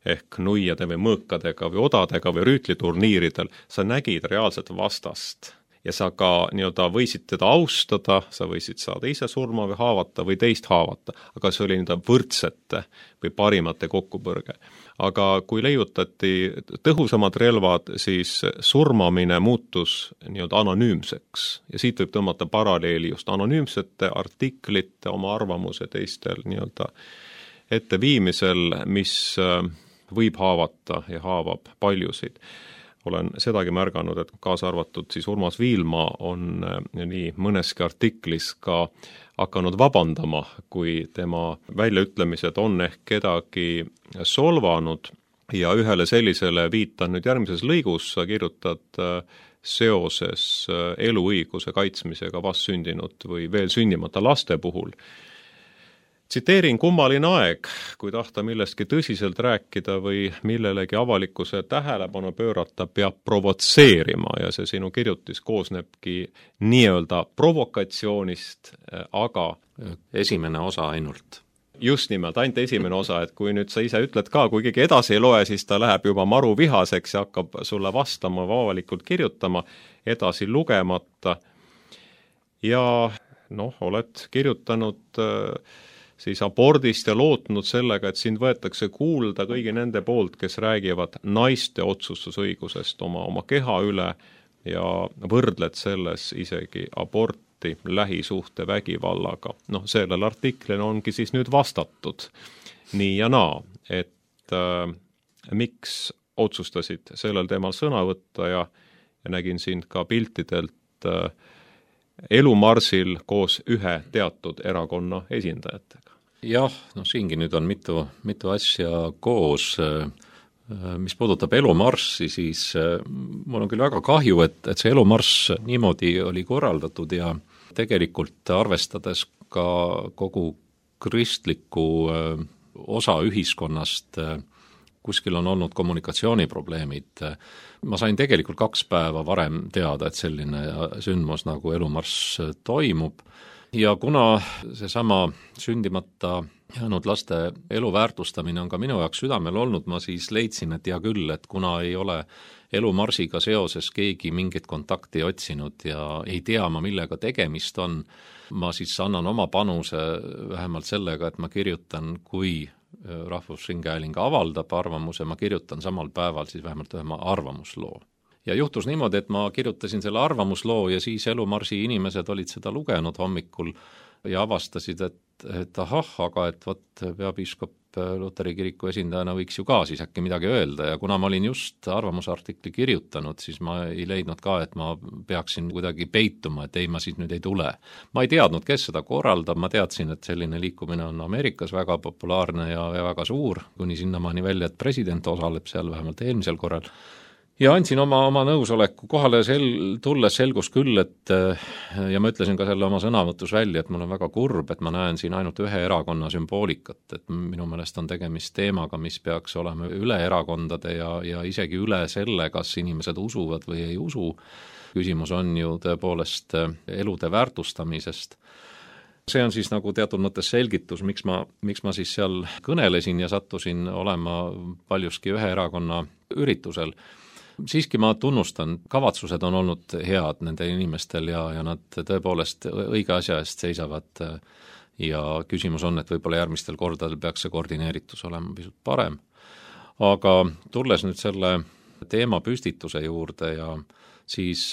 ehk nuiade või mõõkadega või odadega või rüütliturniiridel, sa nägid reaalset vastast ja sa ka nii-öelda võisid teda austada, sa võisid saada ise surma või haavata või teist haavata, aga see oli nii-öelda võrdsete või parimate kokkupõrge. Aga kui leiutati tõhusamad relvad, siis surmamine muutus nii-öelda anonüümseks ja siit võib tõmmata paralleeli just anonüümsete artiklite, oma arvamuse teistel nii-öelda etteviimisel, mis võib haavata ja haavab paljusid. Olen sedagi märganud, et kaasa arvatud siis Urmas Viilma on nii mõneski artiklis ka hakanud vabandama, kui tema väljaütlemised on ehk kedagi solvanud ja ühele sellisele viitan nüüd järgmises lõigus, sa kirjutad seoses eluõiguse kaitsmisega vastsündinud või veel sündimata laste puhul. Tsiteerin, kummaline aeg, kui tahta millestki tõsiselt rääkida või millelegi avalikkuse tähelepanu pöörata, peab provotseerima ja see sinu kirjutis koosnebki nii-öelda provokatsioonist, aga esimene osa ainult. Just nimelt, ainult esimene osa, et kui nüüd sa ise ütled ka, kui keegi edasi ei loe, siis ta läheb juba maru vihaseks ja hakkab sulle vastama või avalikult kirjutama, edasi lugemata. Ja oled kirjutanud siis abordist ja lootnud sellega, et sind võetakse kuulda kõigi nende poolt, kes räägivad naiste otsustusõigusest oma keha üle ja võrdled selles isegi aborti lähisuhte vägivallaga. Sellel artiklil ongi siis nüüd vastatud nii ja naa, et miks otsustasid sellel teemal sõna võtta ja nägin sind ka piltidelt elumarsil koos ühe teatud erakonna esindajatega. Jah, siingi nüüd on mitu asja koos. Mis puudutab elumarssi, siis mul on küll väga kahju, et see elumarss niimoodi oli korraldatud ja tegelikult arvestades ka kogu kristliku osa ühiskonnast, kuskil on olnud kommunikatsiooniprobleemid. Ma sain tegelikult 2 päeva varem teada, et selline sündmus nagu elumarss toimub ja kuna seesama sündimata jäänud laste elu väärtustamine on ka minu jaoks südamel olnud, ma siis leidsin, et hea küll, et kuna ei ole elumarsiga seoses keegi mingit kontakti otsinud ja ei tea ma, millega tegemist on, ma siis annan oma panuse vähemalt sellega, et ma kirjutan, kui Rahvusringhääling avaldab arvamuse, ma kirjutan samal päeval siis vähemalt ühe arvamusloo. Ja juhtus niimoodi, et ma kirjutasin selle arvamusloo ja siis elumarsi inimesed olid seda lugenud hommikul ja avastasid, et ahah, aga et peapiiskop Luteri kiriku esindajana võiks ju ka siis äkki midagi öelda ja kuna ma olin just arvamusartikli kirjutanud, siis ma ei leidnud ka, et ma peaksin kuidagi peituma, et ei, ma siis nüüd ei tule. Ma ei teadnud, kes seda korraldab, ma teadsin, et selline liikumine on Ameerikas väga populaarne ja väga suur, kuni sinnamaani välja, et president osaleb seal vähemalt eelmisel korral. Ja andsin oma nõusoleku kohale tulles selgus küll, ja ma ütlesin ka selle oma sõnavõtus välja, et mul on väga kurb, et ma näen siin ainult ühe erakonna sümboolikat, et minu meelest on tegemist teemaga, mis peaks olema üle erakondade ja isegi üle selle, kas inimesed usuvad või ei usu. Küsimus on ju tõepoolest elude väärtustamisest. See on siis nagu teatud mõttes selgitus, miks ma siis seal kõnelesin ja sattusin olema paljuski ühe erakonna üritusel. Siiski ma tunnustan, kavatsused on olnud head nende inimestel ja nad tõepoolest õige asja eest seisavad ja küsimus on, et võib-olla järgmistel kordadel peaks see koordineeritus olema pisut parem. Aga tulles nüüd selle teema püstituse juurde ja siis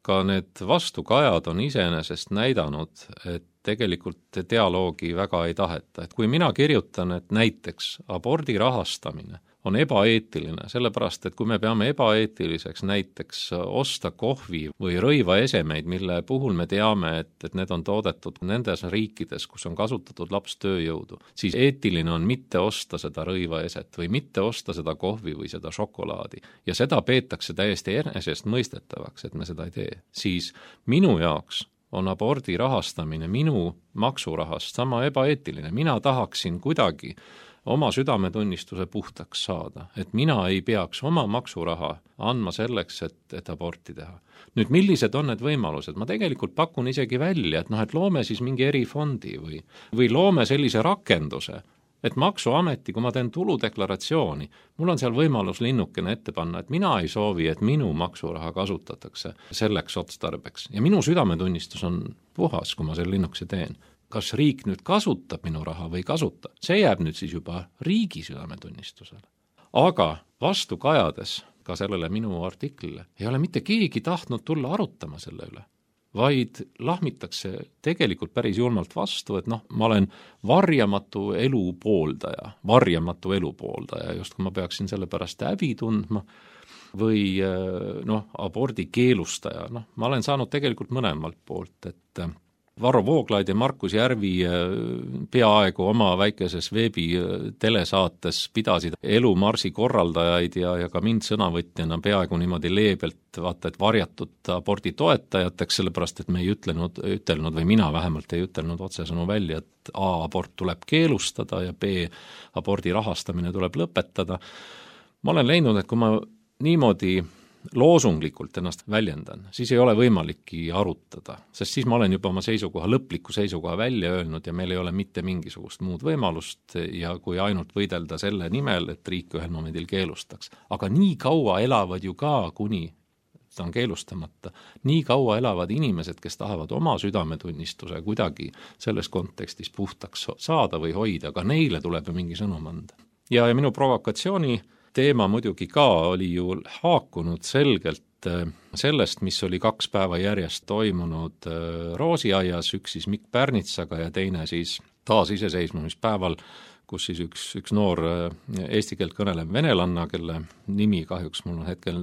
ka need vastukajad on iseenesest näidanud, et tegelikult dialoogi väga ei taheta. Et kui mina kirjutan, et näiteks abordi rahastamine on ebaeetiline, sellepärast et kui me peame ebaeetiliseks näiteks osta kohvi või rõivaesemeid, mille puhul me teame, et need on toodetud nendes riikides, kus on kasutatud lapstööjõudu, siis eetiline on mitte osta seda rõivaeset või mitte osta seda kohvi või seda šokolaadi. Ja seda peetakse täiesti enesestmõistetavaks, et me seda ei tee. Siis minu jaoks on abordi rahastamine minu maksurahast sama ebaeetiline. Mina tahaksin kuidagi oma südametunnistuse puhtaks saada, et mina ei peaks oma maksuraha andma selleks, et aborti teha. Nüüd, millised on need võimalused? Ma tegelikult pakun isegi välja, et loome siis mingi erifondi või loome sellise rakenduse, et maksuameti, kui ma teen tuludeklaratsiooni, mul on seal võimalus linnukene ette panna, et mina ei soovi, et minu maksuraha kasutatakse selleks otstarbeks. Ja minu südametunnistus on puhas, kui ma selle linnukese teen. Kas riik nüüd kasutab minu raha või kasutab? See jääb nüüd siis juba riigi südametunnistusele. Aga vastu kajades ka sellele minu artiklile ei ole mitte keegi tahtnud tulla arutama selle üle, vaid lahmitakse tegelikult päris julmalt vastu, et ma olen varjamatu elu pooldaja, just kui ma peaksin selle pärast häbi tundma või abordi keelustaja. Ma olen saanud tegelikult mõlemalt poolt, et Varro Vooglaid ja Markus Järvi peaaegu oma väikeses veebi telesaates pidasid elumarsi korraldajaid ja ka mind sõnavõtjana peaaegu niimoodi leebelt vaata, et varjatud abordi toetajateks, sellepärast et me ei ütelnud või mina vähemalt ei ütelnud otsesõnu välja, et A, abort tuleb keelustada ja B, abordi rahastamine tuleb lõpetada. Ma olen leidnud, et kui ma niimoodi loosunglikult ennast väljendan, siis ei ole võimalikki arutada, sest siis ma olen juba oma lõpliku seisukoha välja öelnud ja meil ei ole mitte mingisugust muud võimalust ja kui ainult võidelda selle nimel, et riik ühel momendil keelustaks. Aga nii kaua elavad ju ka, kuni ta on keelustamata, nii kaua elavad inimesed, kes tahavad oma südametunnistuse kuidagi selles kontekstis puhtaks saada või hoida, aga neile tuleb ju mingi sõnum anda. Ja minu provokatsiooni teema muidugi ka oli ju haakunud selgelt sellest, mis oli 2 päeva järjest toimunud Roosiaias, üks siis Mikk Pärnitsaga ja teine siis taasiseseisvumispäeval, kus siis üks noor eesti keelt kõnelev venelanna, kelle nimi kahjuks mul on hetkel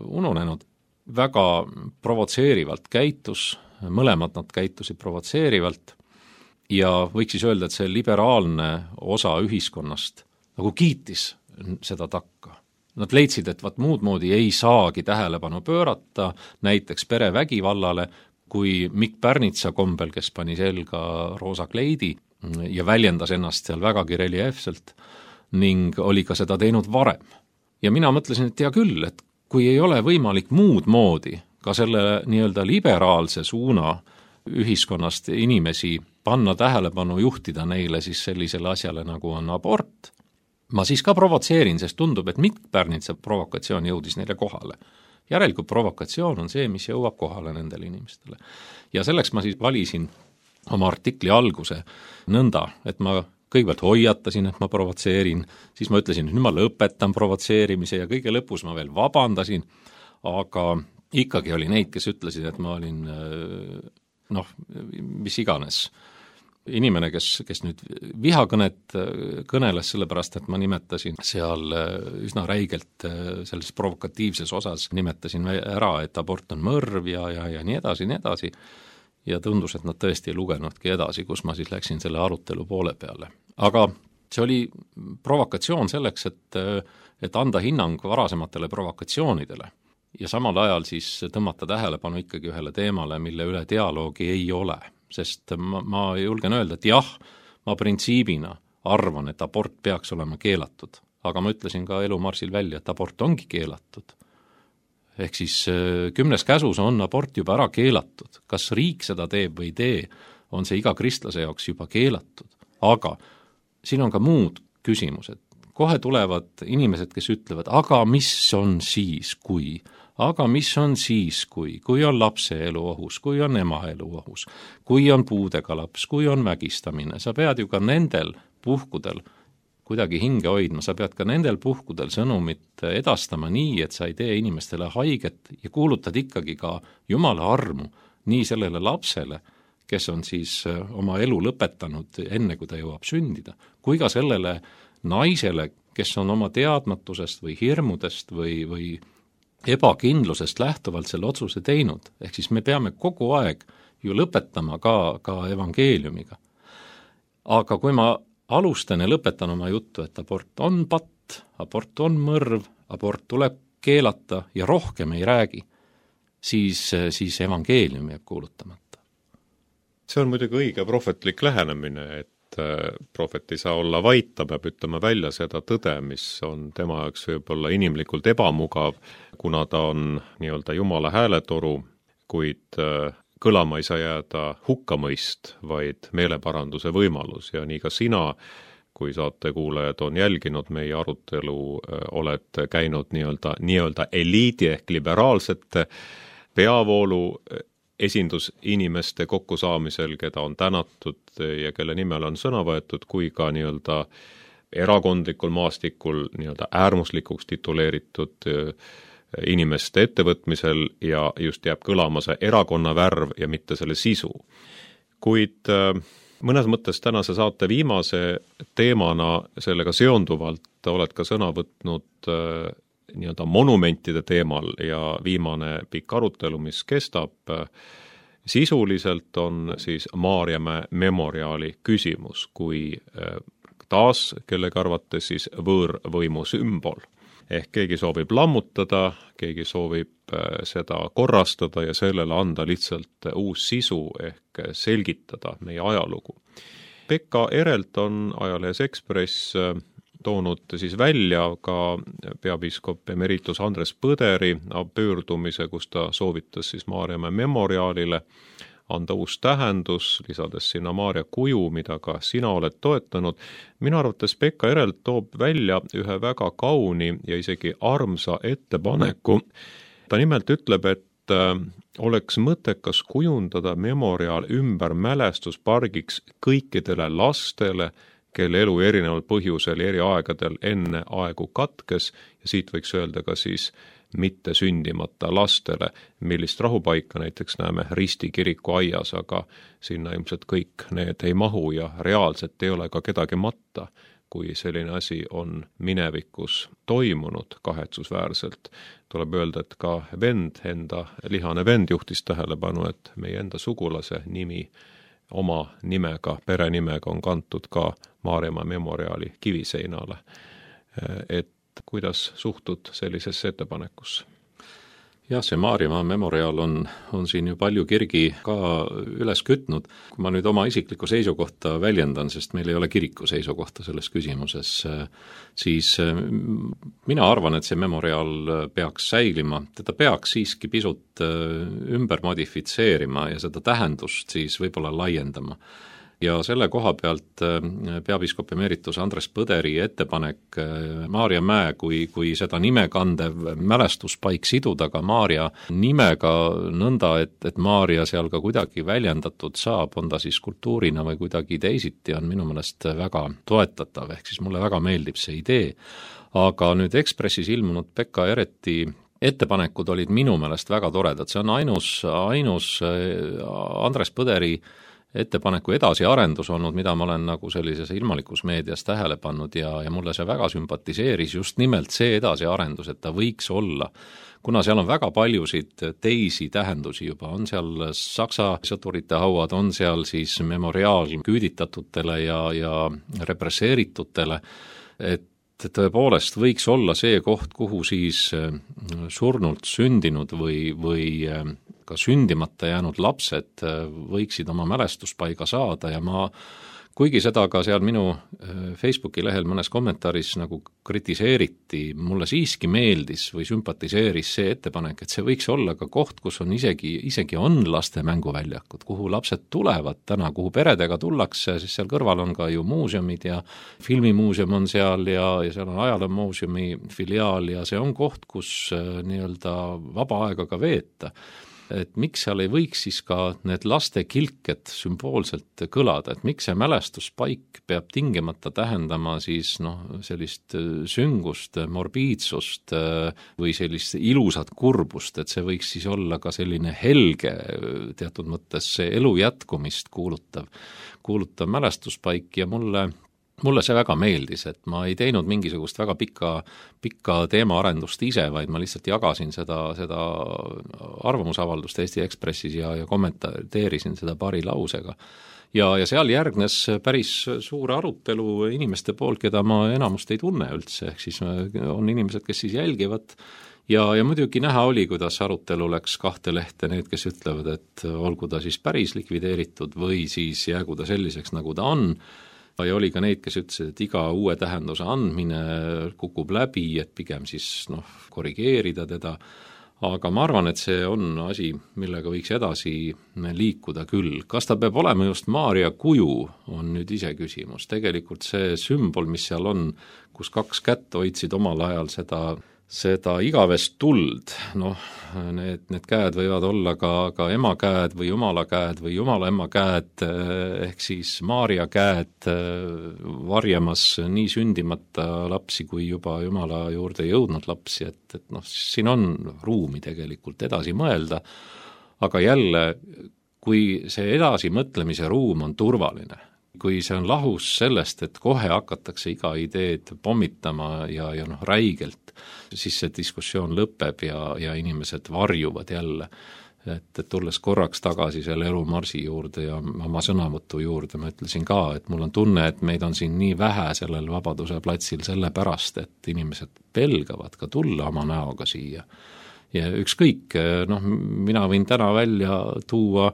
ununenud, väga provotseerivalt käitus, mõlemad nad käitusid provotseerivalt ja võiks siis öelda, et see liberaalne osa ühiskonnast nagu kiitis seda takka. Nad leidsid, et muud moodi ei saagi tähelepanu pöörata näiteks perevägivallale, kui Mikk Pärnitsa kombel, kes pani selga roosa kleidi ja väljendas ennast seal vägagi reljeefselt ning oli ka seda teinud varem. Ja mina mõtlesin, et hea küll, et kui ei ole võimalik muud moodi ka selle nii-öelda liberaalse suuna ühiskonnast inimesi panna tähelepanu, juhtida neile siis sellisele asjale, nagu on abort, ma siis ka provotseerin, sest tundub, et Mikk Pärnitsa provokatsioon jõudis neile kohale. Järelikult provokatsioon on see, mis jõuab kohale nendele inimestele. Ja selleks ma siis valisin oma artikli alguse nõnda, et ma kõigepealt hoiatasin, et ma provotseerin, siis ma ütlesin, et nüüd ma lõpetan provotseerimise ja kõige lõpus ma veel vabandasin, aga ikkagi oli neid, kes ütlesid, et ma olin mis iganes inimene, kes nüüd vihakõnet kõneles sellepärast, et ma nimetasin seal üsna räigelt selles provokatiivses osas, nimetasin ära, et abort on mõrv ja nii edasi. Ja tundus, et nad tõesti ei lugenudki edasi, kus ma siis läksin selle arutelu poole peale. Aga see oli provokatsioon selleks, et anda hinnang varasematele provokatsioonidele ja samal ajal siis tõmmata tähelepanu ikkagi ühele teemale, mille üle dialoogi ei ole. Sest ma julgen öelda, et jah, ma printsiibina arvan, et abort peaks olema keelatud, aga ma ütlesin ka elumarsil välja, et abort ongi keelatud. Ehk siis 10. käsus on abort juba ära keelatud. Kas riik seda teeb või ei tee, on see iga kristlase jaoks juba keelatud. Aga siin on ka muud küsimused. Kohe tulevad inimesed, kes ütlevad, aga mis on siis, kui on lapse elu ohus, kui on ema elu ohus, kui on puudega laps, kui on vägistamine, sa pead ju ka nendel puhkudel kuidagi hinge hoidma, sa pead ka nendel puhkudel sõnumit edastama nii, et sa ei tee inimestele haiget ja kuulutad ikkagi ka Jumala armu nii sellele lapsele, kes on siis oma elu lõpetanud enne, kui ta jõuab sündida, kui ka sellele naisele, kes on oma teadmatusest või hirmudest või ebakindlusest lähtuvalt selle otsuse teinud. Ehk siis me peame kogu aeg ju lõpetama ka evangeeliumiga. Aga kui ma alustan ja lõpetan oma juttu, et abort on patt, abort on mõrv, abort tuleb keelata ja rohkem ei räägi, siis evangeelium jääb kuulutamata. See on muidugi õige prohvetlik lähenemine, et prohvet ei saa olla vait, ta peab ütlema välja seda tõde, mis on tema jaoks võib-olla inimlikult ebamugav, kuna ta on nii-öelda Jumala hääletoru, kuid kõlama ei saa jääda hukkamõist, vaid meeleparanduse võimalus ja nii ka sina, kui saatekuulajad on jälginud meie arutelu, oled käinud nii-öelda eliidi ehk liberaalsete peavoolu esindusinimeste kokkusaamisel, keda on tänatud ja kelle nimel on sõna võetud, kui ka nii-öelda erakondlikul maastikul nii-öelda äärmuslikuks tituleeritud inimeste ettevõtmisel ja just jääb kõlama see erakonna värv ja mitte selle sisu. Kuid mõnes mõttes tänase saate viimase teemana sellega seonduvalt oled ka sõna võtnud nii-öelda monumentide teemal ja viimane pikk arutelu, mis kestab, sisuliselt on siis Maarjamäe memoriaali küsimus, kui taas kellegi arvates siis võõrvõimu sümbol. Ehk keegi soovib lammutada, keegi soovib seda korrastada ja sellele anda lihtsalt uus sisu ehk selgitada meie ajalugu. Pekka Erelt on ajalehes Ekspress toonud siis välja ka peapiiskop emeritus Andres Põderi pöördumise, kus ta soovitas siis Maarjamäe memoriaalile anda uus tähendus, lisades sinna Maarja kuju, mida ka sina oled toetanud. Minu arvates Pekka Erelt toob välja ühe väga kauni ja isegi armsa ettepaneku. Ta nimelt ütleb, et oleks mõttekas kujundada memoriaal ümber mälestuspargiks kõikidele lastele, kelle elu erineval põhjusel eri aegadel enne aegu katkes ja siit võiks öelda ka siis mitte sündimata lastele, millist rahupaika näiteks näeme Risti kiriku aias, aga sinna ilmselt kõik need ei mahu ja reaalselt ei ole ka kedagi matta, kui selline asi on minevikus toimunud kahetsusväärselt. Tuleb öelda, et ka enda lihane vend juhtis tähelepanu, et meie enda sugulase nimi oma nimega, perenimega on kantud ka Maarjamäe memoriaali kiviseinale. Et kuidas suhtud sellisesse ettepanekusse? Jah, see Maarjamäe memoriaal on siin ju palju kirgi ka üles kütnud. Kui ma nüüd oma isiklikku seisukohta väljendan, sest meil ei ole kiriku seisukohta selles küsimuses, siis mina arvan, et see memoriaal peaks säilima. Teda peaks siiski pisut ümber modifitseerima ja seda tähendust siis võib-olla laiendama. Ja selle koha pealt peapiiskop emeritus Andres Põderi ettepanek Maarjamäe kui seda nimekandev mälestuspaik siduda ka Maarja nimega nõnda, et Maarja seal ka kuidagi väljendatud saab, on ta siis kultuurina või kuidagi teisiti, on minu meelest väga toetatav, ehk siis mulle väga meeldib see idee. Aga nüüd Ekspressis ilmunud Pekka Ereti ettepanekud olid minu meelest väga toredad, see on ainus Andres Põderi ettepaneku edasiarendus olnud, mida ma olen nagu sellises ilmalikus meedias tähele pannud ja mulle see väga sümpatiseeris just nimelt see edasiarendus, et ta võiks olla, kuna seal on väga paljusid teisi tähendusi juba, on seal Saksa sõdurite hauad, on seal siis memoriaal küüditatutele ja represseeritutele, et tõepoolest võiks olla see koht, kuhu siis surnult sündinud või ka sündimata jäänud lapsed võiksid oma mälestuspaiga saada ja kuigi seda ka seal minu Facebooki lehel mõnes kommentaaris nagu kritiseeriti, mulle siiski meeldis või sümpatiseeris see ettepanek, et see võiks olla ka koht, kus on isegi on laste mänguväljakud, kuhu lapsed tulevad täna, kuhu peredega tullakse, siis seal kõrval on ka ju muuseumid ja filmimuuseum on seal ja seal on ajaloomuuseumi filiaal ja see on koht, kus nii-öelda vaba aega ka veeta. Et miks seal ei võiks siis ka need laste kilked sümboolselt kõlada, et miks see mälestuspaik peab tingimata tähendama siis sellist süngust, morbiidsust või sellist ilusat kurbust, et see võiks siis olla ka selline helge teatud mõttes see elu jätkumist kuulutav mälestuspaik ja mulle mulle see väga meeldis, et ma ei teinud mingisugust väga pikka teemaarendust ise, vaid ma lihtsalt jagasin seda arvamusavaldust Eesti Ekspressis ja kommenteerisin seda paari lausega. Ja seal järgnes päris suur arutelu inimeste poolt, keda ma enamust ei tunne üldse, ehk siis on inimesed, kes siis jälgivad ja muidugi näha oli, kuidas arutelu läks kahte lehte, need, kes ütlevad, et olgu ta siis päris likvideeritud või siis jäägu ta selliseks, nagu ta on, ja oli ka neid, kes ütlesid, et iga uue tähenduse andmine kukub läbi, et pigem siis korrigeerida teda, aga ma arvan, et see on asi, millega võiks edasi liikuda küll. Kas ta peab olema just Maarja kuju, on nüüd ise küsimus. Tegelikult see sümbol, mis seal on, kus 2 kätt hoidsid omal ajal seda igavest tuld, need käed võivad olla ka ema käed või jumala käed või jumala ema käed, ehk siis Maarja käed varjamas nii sündimata lapsi kui juba jumala juurde jõudnud lapsi, et siin on ruumi tegelikult edasi mõelda, aga jälle, kui see edasimõtlemise ruum on turvaline, kui see on lahus sellest, et kohe hakatakse iga ideed pommitama ja räigelt, siis see diskussioon lõpeb ja inimesed varjuvad jälle. Et tulles korraks tagasi selle elumarsi juurde ja oma sõnavõtu juurde, ma ütlesin ka, et mul on tunne, et meid on siin nii vähe sellel Vabaduse platsil sellepärast, et inimesed pelgavad ka tulla oma näoga siia. Ja ükskõik, mina võin täna välja tuua,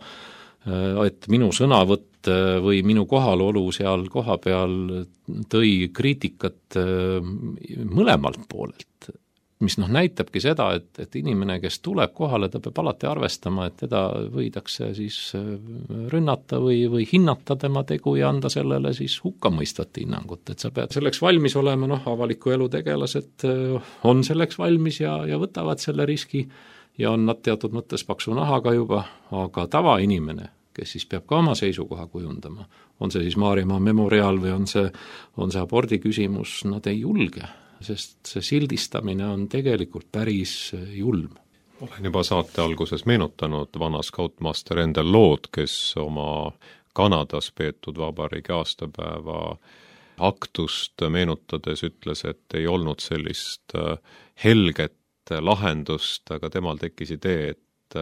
et minu sõnavõtt või minu kohalolu seal koha peal tõi kriitikat mõlemalt poolelt, mis näitabki seda, et inimene, kes tuleb kohale, ta peab alati arvestama, et teda võidakse siis rünnata või hinnata tema tegu ja anda sellele siis hukkamõistvat hinnangut, et sa pead selleks valmis olema, avaliku elu tegelased on selleks valmis ja võtavad selle riski ja on nad teatud mõttes paksu nahaga juba, aga tavainimene, kes siis peab ka oma seisukoha kujundama, on see siis Maarjamaa memoriaal või on see abordi küsimus, nad ei julge, sest see sildistamine on tegelikult päris julm. Olen juba saate alguses meenutanud vana skautmaster Endel Lood, kes oma Kanadas peetud vabariigi aastapäeva aktust meenutades ütles, et ei olnud sellist helget lahendust, aga temal tekkis idee, et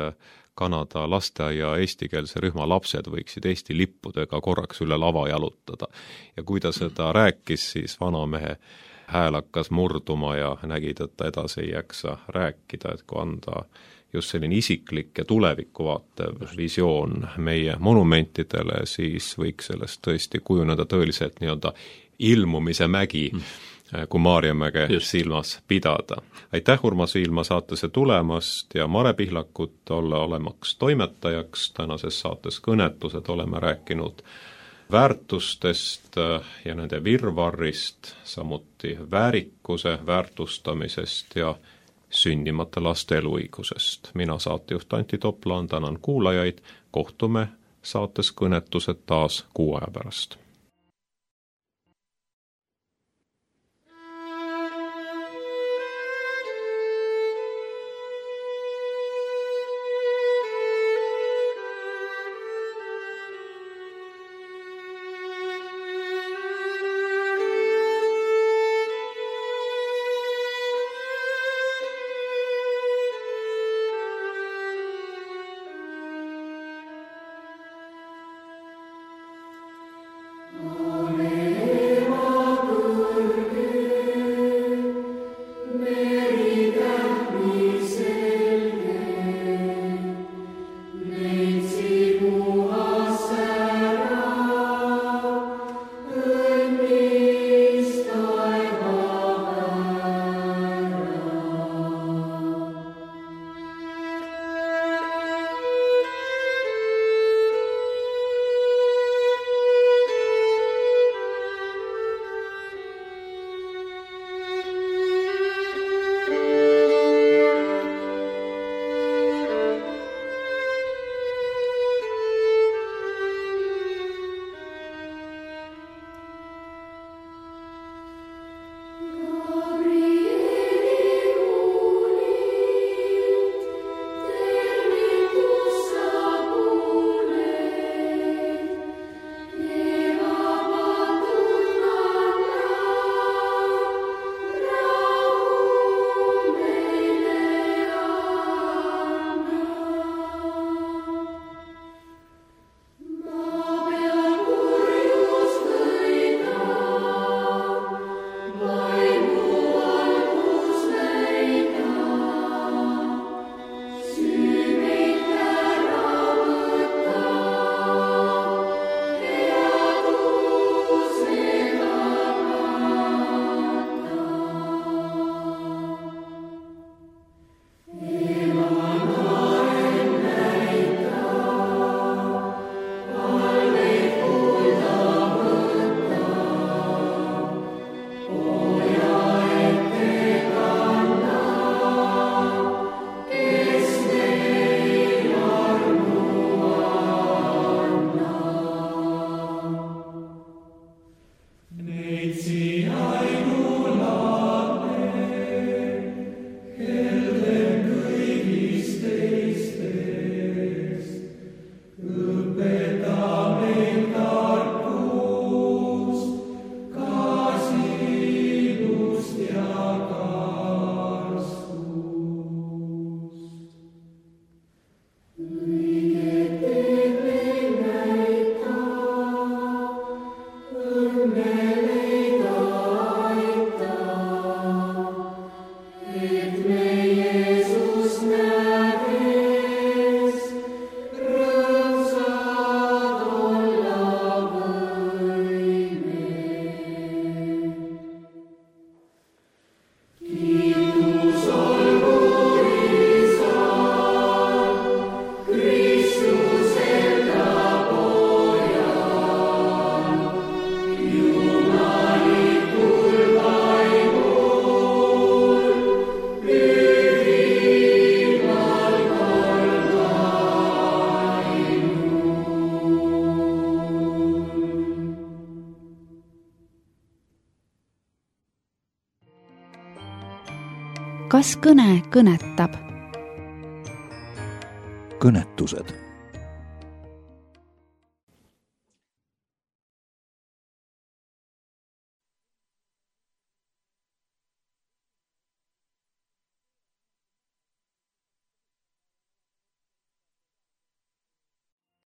Kanada lasteaia eestikeelse rühma lapsed võiksid Eesti lippudega korraks üle lava jalutada. Ja kui ta seda rääkis, siis vanamehe hääl hakkas murduma ja nägid, et ta edasi ei jaksa rääkida, et kui anda just selline isiklik ja tulevikku vaatev visioon meie monumentidele, siis võiks sellest tõesti kujuneda tõeliselt nii-öelda ilmumise mägi, kui Maarjamäge silmas pidada. Aitäh, Urmas Viilma, saatesse tulemast ja Mare Pihlakut olla olemaks toimetajaks. Tänases saates Kõnetused oleme rääkinud väärtustest ja nende virvarrist, samuti väärikuse väärtustamisest ja sündimata laste eluõigusest. Mina saatejuht Antti Toplaan tänan kuulajaid, kohtume saates Kõnetused taas 6 aja pärast. kas kõne kõnetab? kõnetused